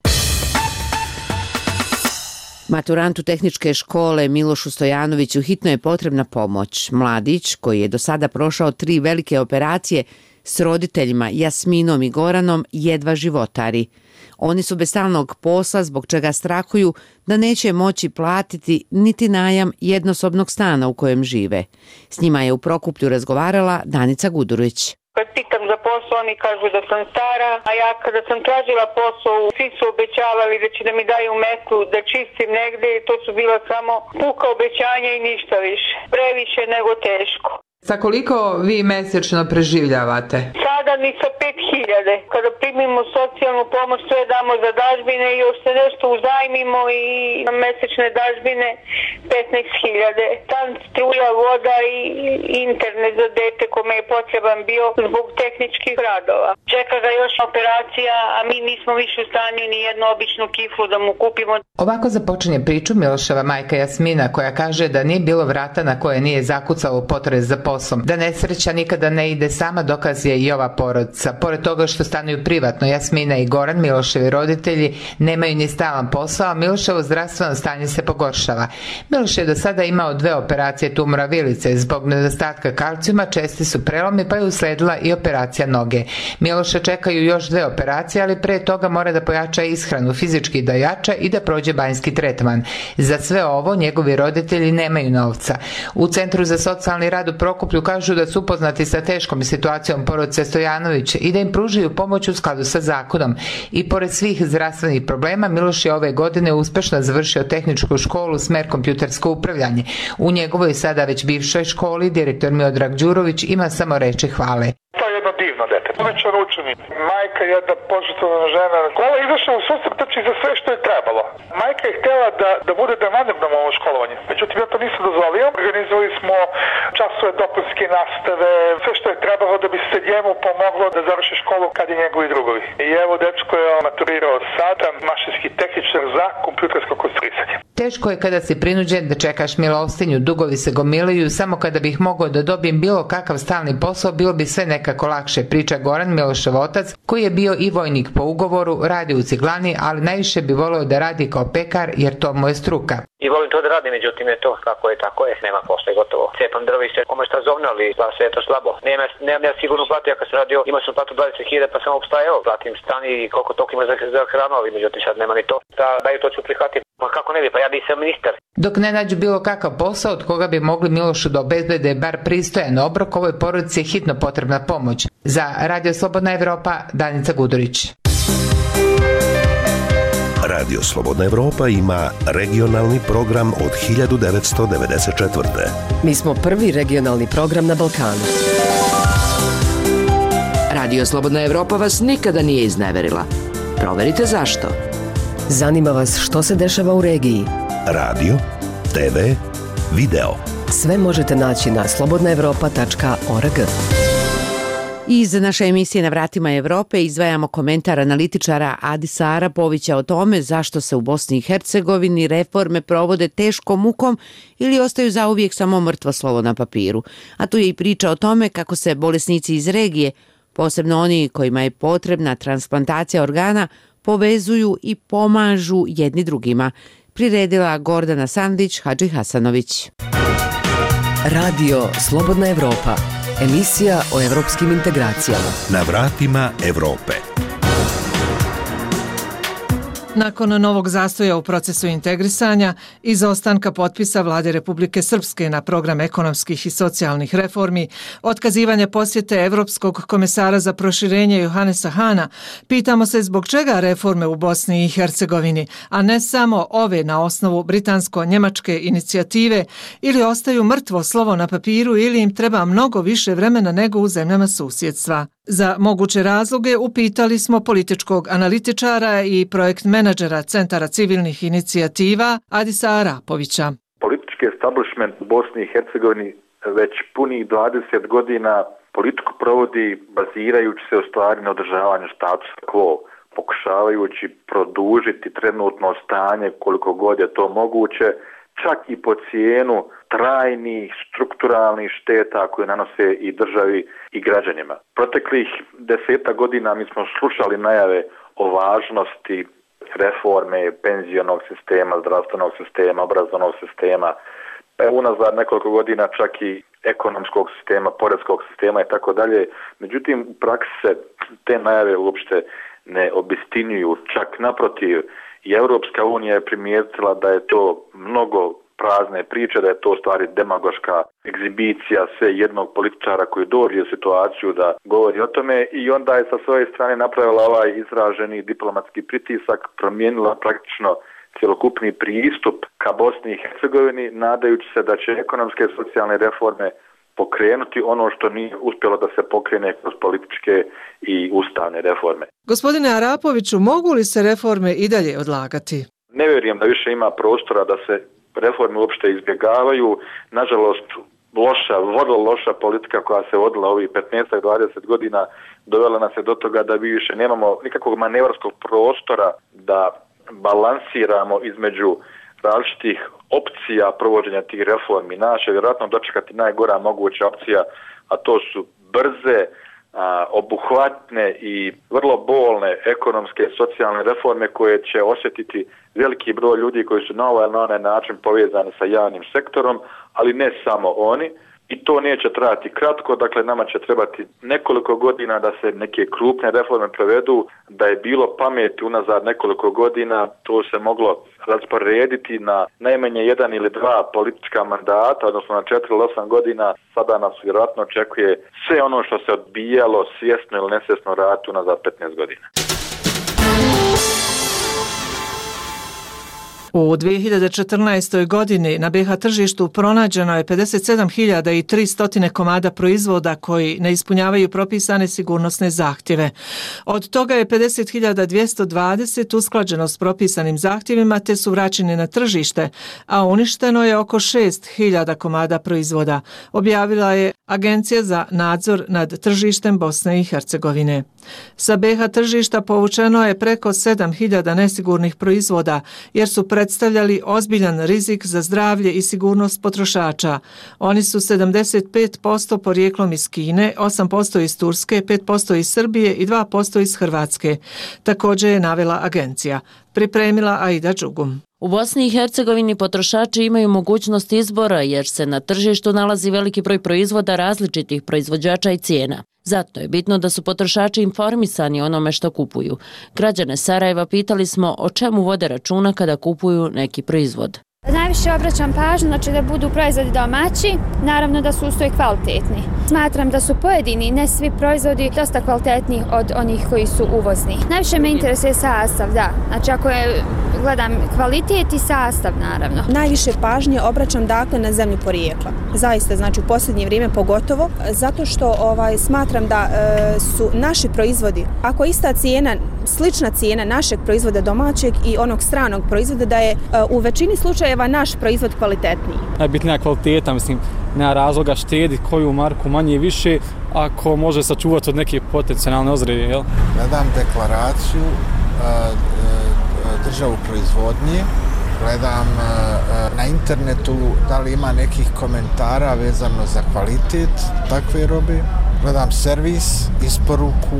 Maturantu tehničke škole Milošu Stojanoviću hitno je potrebna pomoć. Mladić, koji je do sada prošao tri velike operacije, s roditeljima Jasminom i Goranom jedva životari. Oni su bez stalnog posla, zbog čega strahuju da neće moći platiti niti najam jednosobnog stana u kojem žive. S njima je u Prokuplju razgovarala Danica Gudurović. Kad pitam za posao, oni kažu da sam stara, a ja kada sam tražila posao, svi su obećavali da će da mi daju metlu, da čistim negdje i to su bila samo puka obećanja i ništa više. Previše nego teško. Sa koliko vi mjesečno preživljavate? Sada ni sa pet hiljada. Kada primimo socijalnu pomoć, sve damo za dažbine i još se nešto uzajmimo i na mesečne dažbine petnaest hiljada. Tam struja, voda i internet za dete kome je potreban bio zbog tehničkih radova. Čeka ga još operacija, a mi nismo više u stanju ni jednu običnu kiflu da mu kupimo. Ovako započinje priču Miloševa majka Jasmina, koja kaže da nije bilo vrata na koje nije zakucao potres za poslom. Da nesreća nikada ne ide sama, dokaz je i ova porodica. Pored toga što stanuju privatno, Jasmina i Goran, Miloševi roditelji, nemaju ni stalan posao, a Miloševo zdravstveno stanje se pogoršava. Miloš je do sada imao dve operacije tumora vilice. Zbog nedostatka kalcijuma česti su prelomi, pa je usledila i operacija noge. Miloša čekaju još dve operacije, ali pre toga mora da pojača ishranu, fizički da jača i da prođe banjski tretman. Za sve ovo njegovi roditelji nemaju novca. U Centru za socijalni rad u Prokuplju kažu da su upoznati sa teškom situacijom porodice Stojanović i da im pružaju pomoć u skladu sa zakonom. I pored svih zdravstvenih problema, Miloš je ove godine uspešno završio tehničku školu smer kompjutersko upravljanje. U njegovoj sada već bivšoj školi direktor Miodrag Đurović ima samo reči hvale. To je jedno divno dete, odličan učenik. Majka je jedna požrtvovana žena koja je izašla u susret za sve što je trebalo. Majka je htjela da, da bude demandirno ovo školovanje. Međutim, ja to nisam dozvolio. Organizovali smo časove dopunske nastave, sve što je trebalo da bi se njemu pomoglo da završi školu kad je njegovi drugovi. I evo, dečko je maturirao sada, mašinski tehničar za kompjutersko konstruisanje. Teško je kada si prinuđen da čekaš milostinju, dugovi se gomilaju, samo kada bih mogao da dobijem bilo kakav stalni posao, bilo bi sve nekako lakše, priča Goran, Milošev otac, koji je bio i vojnik po ugovoru, radi u ciglani, ali najviše bi voleo da radi kao pekar, jer to mu je struka. I volim to da radim, međutim je to kako je, tako je, nema posla i gotovo. Cepam drvište, kome šta zovnali, pa sve je to slabo. Nema, nemam ja sigurno platu, ja kad sam radio, imao sam platu dvadeset hiljada, pa sam opstaje, evo, platim stan i koliko toliko ima za, za hranu, ali međutim sad nema ni to. Da daju to ću prihvatiti. Pa kako ne bi, pa ja nisam ministar. Dok ne nađu bilo kakav posao od koga bi mogli Milošu da obezbede bar pristojan obrok, ovoj porodici je hitno potrebna pomoć. Za Radio Slobodna Evropa, Danica Gudurić. Radio Slobodna Evropa ima regionalni program od hiljadu devetsto devedeset četvrte. Mi smo prvi regionalni program na Balkanu. Radio Slobodna Evropa vas nikada nije izneverila. Proverite zašto. Zanima vas što se dešava u regiji. Radio, te ve, video. Sve možete naći na slobodna evropa tačka org. Iz naše emisije Na vratima Evrope izdvajamo komentar analitičara Adisa Arapovića o tome zašto se u Bosni i Hercegovini reforme provode teškom mukom ili ostaju zauvijek samo mrtvo slovo na papiru. A tu je i priča o tome kako se bolesnici iz regije, posebno oni kojima je potrebna transplantacija organa, povezuju i pomažu jedni drugima. Priredila Gordana Sandić, Hadži Hasanović. Radio Slobodna Evropa. Emisija o evropskim integracijama. Na vratima Evrope. Nakon novog zastoja u procesu integrisanja, izostanka potpisa Vlade Republike Srpske na program ekonomskih i socijalnih reformi, otkazivanja posjete Evropskog komesara za proširenje Johanesa Hana, pitamo se zbog čega reforme u Bosni i Hercegovini, a ne samo ove na osnovu britansko-njemačke inicijative, ili ostaju mrtvo slovo na papiru ili im treba mnogo više vremena nego u zemljama susjedstva. Za moguće razloge upitali smo političkog analitičara i projekt menadžera Centara civilnih inicijativa Adisa Arapovića. Politički establishment u Bosni i Hercegovini već punih dvadeset godina politiku provodi bazirajući se u stvari na održavanju status quo, pokušavajući produžiti trenutno stanje koliko god je to moguće, čak i po cijenu trajnih strukturalnih šteta koje nanose i državi i građanima. Proteklih deseta godina mi smo slušali najave o važnosti reforme penzionog sistema, zdravstvenog sistema, obrazovnog sistema, unazad nekoliko godina čak i ekonomskog sistema, poreskog sistema i tako dalje. Međutim, u praksi se te najave uopšte ne obistinjuju, čak naprotiv. I Europska unija je primijetila da je to mnogo prazne priče, da je to stvari demagoška egzibicija sve jednog političara koji dođe u situaciju da govori o tome i onda je sa svoje strane napravila ovaj izraženi diplomatski pritisak, promijenila praktično cjelokupni pristup ka Bosni i Hercegovini, nadajući se da će ekonomske i socijalne reforme pokrenuti ono što nije uspjelo da se pokrene kroz političke i ustavne reforme. Gospodine Arapoviću, mogu li se reforme i dalje odlagati? Ne vjerujem da više ima prostora da se reforme uopšte izbjegavaju. Nažalost, loša, vrlo loša politika koja se vodila ovih petnaest do dvadeset godina dovela nas je do toga da mi više nemamo nikakvog manevarskog prostora da balansiramo između različitih opcija provođenja tih reformi. Naš je vjerojatno dočekati najgora moguća opcija, a to su brze, a, obuhvatne i vrlo bolne ekonomske i socijalne reforme koje će osjetiti veliki broj ljudi koji su na ovaj ili na onaj način povezani sa javnim sektorom, ali ne samo oni. I to neće trajati kratko, dakle nama će trebati nekoliko godina da se neke krupne reforme provedu. Da je bilo pameti unazad nekoliko godina, to se moglo rasporediti na najmanje jedan ili dva politička mandata, odnosno na četiri ili osam godina. Sada nas vjerojatno očekuje sve ono što se odbijalo svjesno ili nesvjesno raditi unazad petnaest godina. U dvije hiljade četrnaestoj. godini na be ha tržištu pronađeno je pedeset sedam hiljada tristo komada proizvoda koji ne ispunjavaju propisane sigurnosne zahtjeve. Od toga je pedeset hiljada dvjesto dvadeset usklađeno s propisanim zahtjevima te su vraćeni na tržište, a uništeno je oko šest hiljada komada proizvoda, objavila je Agencija za nadzor nad tržištem Bosne i Hercegovine. Sa be ha tržišta povučeno je preko sedam hiljada nesigurnih proizvoda jer su predstavljali ozbiljan rizik za zdravlje i sigurnost potrošača. Oni su sedamdeset pet posto porijeklom iz Kine, osam posto iz Turske, pet posto iz Srbije i dva posto iz Hrvatske. Također je navela agencija. Pripremila Aida Đugum. U Bosni i Hercegovini potrošači imaju mogućnost izbora jer se na tržištu nalazi veliki broj proizvoda različitih proizvođača i cijena. Zato je bitno da su potrošači informisani o onome što kupuju. Građane Sarajeva pitali smo o čemu vode računa kada kupuju neki proizvod. Najviše obraćam pažnju, znači da budu proizvodi domaći, naravno da su uz to i kvalitetni. Smatram da su pojedini, ne svi proizvodi, dosta kvalitetniji od onih koji su uvozni. Najviše me interesuje sastav, da. Znači ako je, gledam kvalitet i sastav, naravno. Najviše pažnje obraćam dakle na zemlju porijekla. Zaista, znači u posljednje vrijeme pogotovo, zato što ovaj, smatram da e, su naši proizvodi, ako ista cijena, slična cijena našeg proizvoda domaćeg i onog stranog proizvoda, da je e, u većini slučajeva naš proizvod kvalitetniji. Najbitnija kvaliteta, mislim, nema razloga štediti koju marku manje i više ako može sačuvati od neke potencijalne ozrede, jel? Gledam deklaraciju, državu proizvodnje, gledam na internetu da li ima nekih komentara vezano za kvalitet takve robe, gledam servis, isporuku.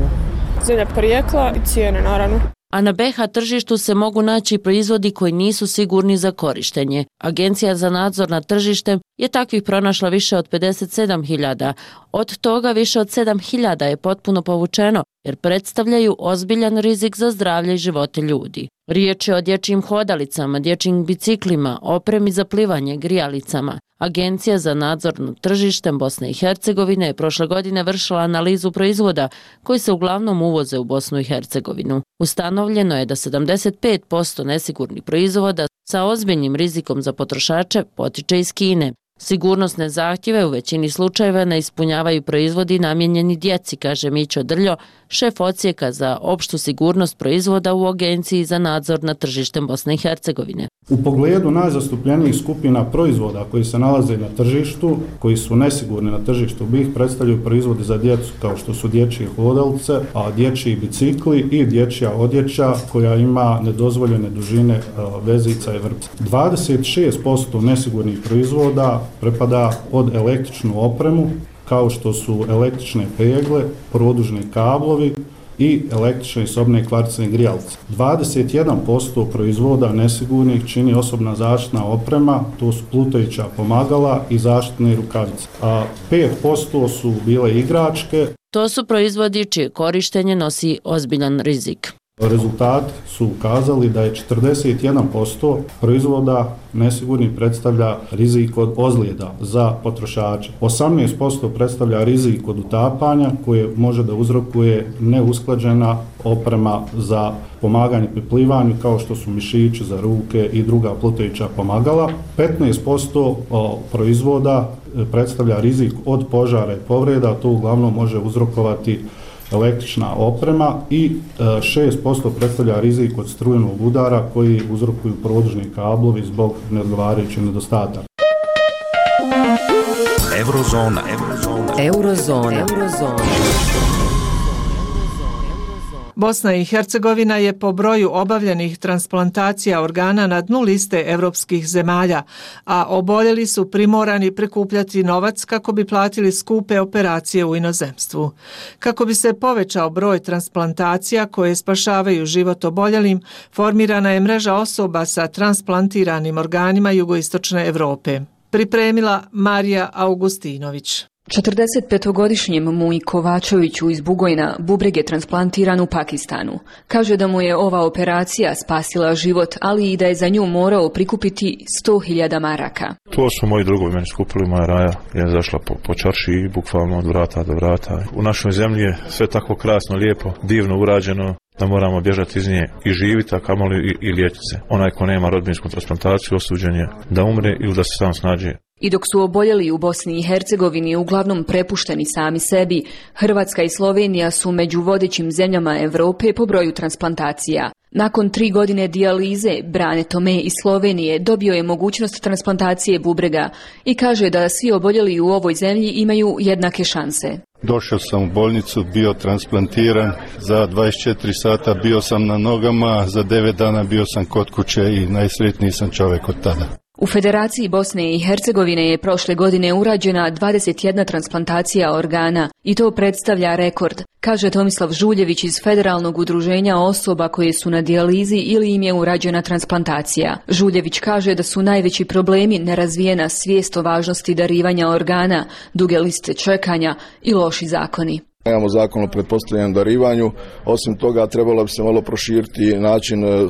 Zemlja porijekla i cijene, naravno. A na be ha tržištu se mogu naći proizvodi koji nisu sigurni za korištenje. Agencija za nadzor nad tržištem je takvih pronašla više od pedeset sedam hiljada. Od toga više od sedam hiljada je potpuno povučeno jer predstavljaju ozbiljan rizik za zdravlje i živote ljudi. Riječ je o dječjim hodalicama, dječjim biciklima, opremi za plivanje, grijalicama. Agencija za nadzor nad tržištem Bosne i Hercegovine je prošle godine vršila analizu proizvoda koji se uglavnom uvoze u Bosnu i Hercegovinu. Ustanovljeno je da sedamdeset pet posto nesigurnih proizvoda sa ozbiljnim rizikom za potrošače potiče iz Kine. Sigurnosne zahtjeve u većini slučajeva ne ispunjavaju proizvodi namijenjeni djeci, kaže Mićo Drljo, šef odsjeka za opštu sigurnost proizvoda u Agenciji za nadzor nad tržištem Bosne i Hercegovine. U pogledu najzastupljenijih skupina proizvoda koji se nalaze na tržištu, koji su nesigurni na tržištu B i H, predstavljaju proizvodi za djecu kao što su dječje hodalice, a dječji bicikli i dječja odjeća koja ima nedozvoljene dužine vezica i vrpca. dvadeset šest posto nesigurnih proizvoda pripada pod električnu opremu, kao što su električne pegle, produžni kablovi i električne i sobne kvarcne grijalce. dvadeset jedan posto proizvoda nesigurnih čini osobna zaštitna oprema, to su plutajuća pomagala i zaštitne rukavice. A pet posto su bile igračke. To su proizvodi čije korištenje nosi ozbiljan rizik. Rezultati su ukazali da je četrdeset jedan posto proizvoda nesigurnih predstavlja rizik od ozljeda za potrošače. osamnaest posto predstavlja rizik od utapanja koje može da uzrokuje neusklađena oprema za pomaganje pri plivanju kao što su mišići za ruke i druga plutajuća pomagala. petnaest posto proizvoda predstavlja rizik od požara i povreda, to uglavnom može uzrokovati električna oprema i šest posto predstavlja rizik od strujenog udara koji uzrokuju produžni kablovi zbog neodgovarajućih nedostataka. Eurozona. Eurozona. Eurozona. Eurozona. Bosna i Hercegovina je po broju obavljenih transplantacija organa na dnu liste evropskih zemalja, a oboljeli su primorani prikupljati novac kako bi platili skupe operacije u inozemstvu. Kako bi se povećao broj transplantacija koje spašavaju život oboljelim, formirana je mreža osoba sa transplantiranim organima jugoistočne Europe. Pripremila Marija Augustinović. četrdesetpetogodišnjem Muji Kovačeviću iz Bugojna bubreg je transplantiran u Pakistanu. Kaže da mu je ova operacija spasila život, ali i da je za nju morao prikupiti sto hiljada maraka. To su moji drugovi meni skupili, moja raja je zašla po, po čarši, bukvalno od vrata do vrata. U našoj zemlji je sve tako krasno, lijepo, divno urađeno da moramo bježati iz nje i živiti, a kamoli i, i liječiti se. Onaj ko nema rodbinsku transplantaciju osuđen je da umre ili da se sam snađe. I dok su oboljeli u Bosni i Hercegovini uglavnom prepušteni sami sebi, Hrvatska i Slovenija su među vodećim zemljama Europe po broju transplantacija. Nakon tri godine dijalize, Brane Tome iz Slovenije dobio je mogućnost transplantacije bubrega i kaže da svi oboljeli u ovoj zemlji imaju jednake šanse. Došao sam u bolnicu, bio transplantiran, za dvadeset četiri sata bio sam na nogama, za devet dana bio sam kod kuće i najsretniji sam čovjek od tada. U Federaciji Bosne i Hercegovine je prošle godine urađena dvadeset jedna transplantacija organa i to predstavlja rekord, kaže Tomislav Žuljević iz Federalnog udruženja osoba koje su na dijalizi ili im je urađena transplantacija. Žuljević kaže da su najveći problemi nerazvijena svijest o važnosti darivanja organa, duge liste čekanja i loši zakoni. Nemamo zakon o pretpostavljenom darivanju, osim toga trebalo bi se malo proširiti način e,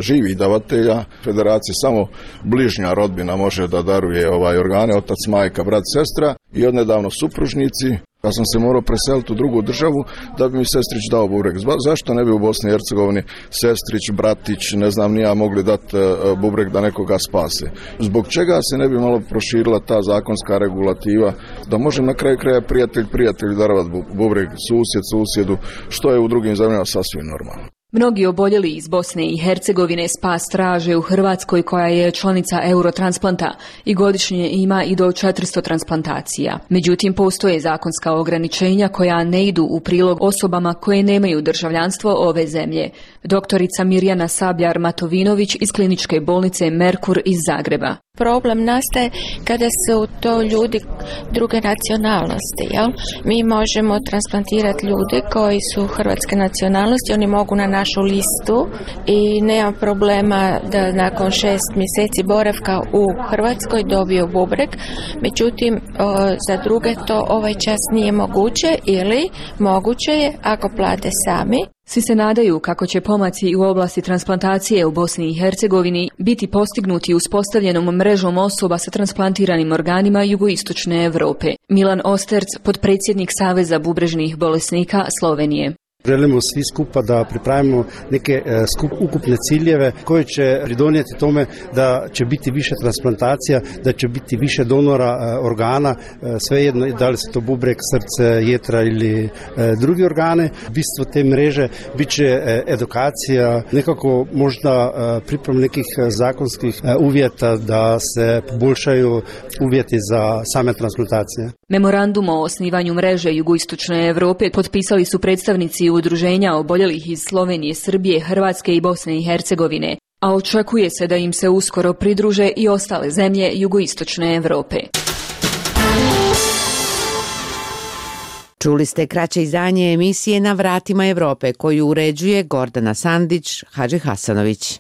živih davatelja. Federacija samo bližnja rodbina može da daruje ovaj organe, otac, majka, brat, sestra i odnedavno supružnici. Ja sam se morao preseliti u drugu državu da bi mi sestrić dao bubreg. Zašto ne bi u Bosni i Hercegovini sestrić, bratić, ne znam ni ja, mogli dati bubreg da nekoga spase? Zbog čega se ne bi malo proširila ta zakonska regulativa da može na kraju kraja prijatelj prijatelju darovati bubreg, susjed susjedu, što je u drugim zemljama sasvim normalno. Mnogi oboljeli iz Bosne i Hercegovine spas traže u Hrvatskoj koja je članica Eurotransplanta i godišnje ima i do četiristo transplantacija. Međutim, postoje zakonska ograničenja koja ne idu u prilog osobama koje nemaju državljanstvo ove zemlje. Doktorica Mirjana Sabljar-Matovinović iz kliničke bolnice Merkur iz Zagreba. Problem nastaje kada su to ljudi druge nacionalnosti. Jel? Mi možemo transplantirati ljude koji su hrvatske nacionalnosti, oni mogu na našu listu i nema problema da nakon šest mjeseci boravka u Hrvatskoj dobiju bubreg. Međutim, o, za druge to ovaj čas nije moguće ili moguće je ako plate sami. Svi se nadaju kako će pomaci u oblasti transplantacije u Bosni i Hercegovini biti postignuti uspostavljenom mrežom osoba sa transplantiranim organima jugoistočne Europe. Milan Osterc, potpredsjednik Saveza bubrežnih bolesnika Slovenije. Želimo svi skupa da pripravimo neke skup, ukupne ciljeve koje će pridonijeti tome da će biti više transplantacija, da će biti više donora organa, svejedno da li se to bubreg, srce, jetra ili drugi organe. Bistvo te mreže bit će edukacija, nekako možda priprema nekih zakonskih uvjeta da se poboljšaju uvjeti za same transplantacije. Memorandum o osnivanju mreže jugoistočne Europe potpisali su predstavnici udruženja oboljelih iz Slovenije, Srbije, Hrvatske i Bosne i Hercegovine, a očekuje se da im se uskoro pridruže i ostale zemlje jugoistočne Europe. Čuli ste kraće izdanje emisije Na vratima Europe koju uređuje Gordana Sandić, Hadži Hasanović.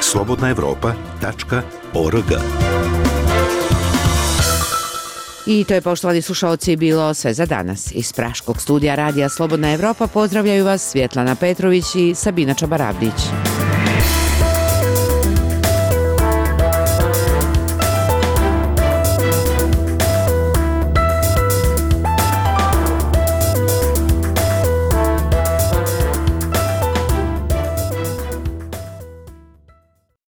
slobodna evropa tačka org. I to je, poštovani slušalci, bilo sve za danas. Iz Praškog studija radija Slobodna Evropa pozdravljaju vas Svjetlana Petrović i Sabina Čabaravdić.